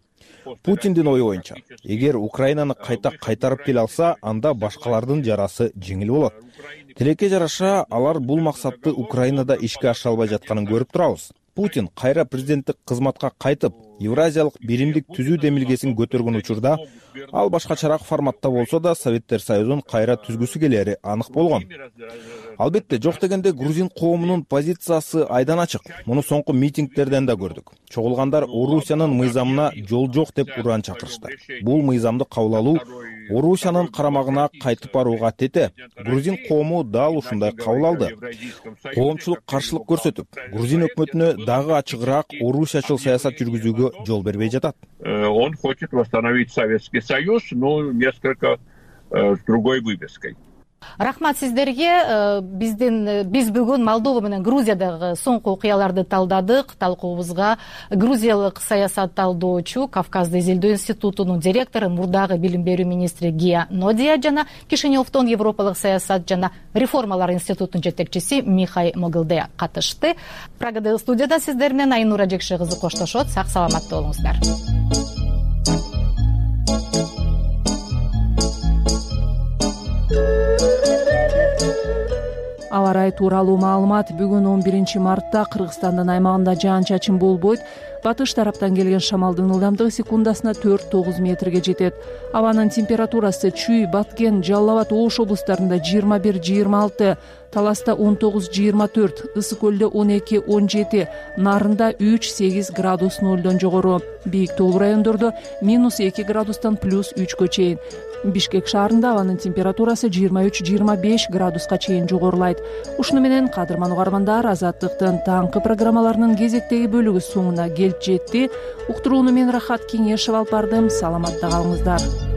Путиндин ою боюнча, эгер Украинаны кайта кайтарып келе алса, анда башкалардын жарасы жеңил болот. Тилекке жараша, алар бул максатты Украинада ишке ашыра албай жатканын көрүп турабыз. Путин кайра президенттик кызматка кайтып, Евразиялык биримдик түзүү демилгесин көтөргөн учурда, ал башкачараак форматта болсо да Советтер Союзун кайра түзгүсү келери анык болгон. Албетте, жок дегенде грузин коомунун позициясы айдан ачык. Муну соңку митингдерден да көрдүк. Чогулгандар Орусиянын мыйзамына жол жок деп уран чакырышты. Бул мыйзамды кабыл алуу Орусиянын карамагына кайтып барууга тете. Грузин коому дал ушундай кабыл алды. Коомчулук каршылык көрсөтүп, грузин өкмөтүнө дагы ачыгыраак орусиячыл саясат жүргүзүүгө жол бербей жатат. Он хочет восстановить Советский Союз, но несколько с другой вывеской. Рахмат сиздерге. Биз бүгүн Молдова менен Грузиядагы соңку окуяларды талдадык. Талкуубузга грузиялык саясат талдоочу, Кавказды изилдөө институтунун директору, мурдагы билим берүү министри Гия Нодия жана Кишиневдон Европалык саясат жана реформалар институтунун жетекчиси Михай Могилде катышты. Прагадагы студияда сиздер менен Айнура Жекше кызы коштошот. Сак саламат болуңуздар. Аба ырайы тууралуу маалымат. Бүгүн 11 мартта Кыргызстандын аймагында жаан-чачын болбойт. Батыш тараптан келген шамалдын ылдамдыгы секундасына 4-9 метрге жетет. Абанын температурасы Чүй, Баткен, Жалал абад, Ош облустарында 21-26, Таласта 19-24, Ысык көлдө 12-17, Нарында 3-8 градус нөлдөн жогору. Бийик тоолуу райондордо -2 градустан +3кө чейин. Бишкек шаарында абанын температурасы 23-25 градуска чейин жогорулайт. Ушуну менен кадырман угармандар, Азаттыктын таңкы программаларынын кезектеги бөлүгү соңуна келип жетти. Уктурууну мен Рахат Кеңешев алып бардым. Саламатта калыңыздар.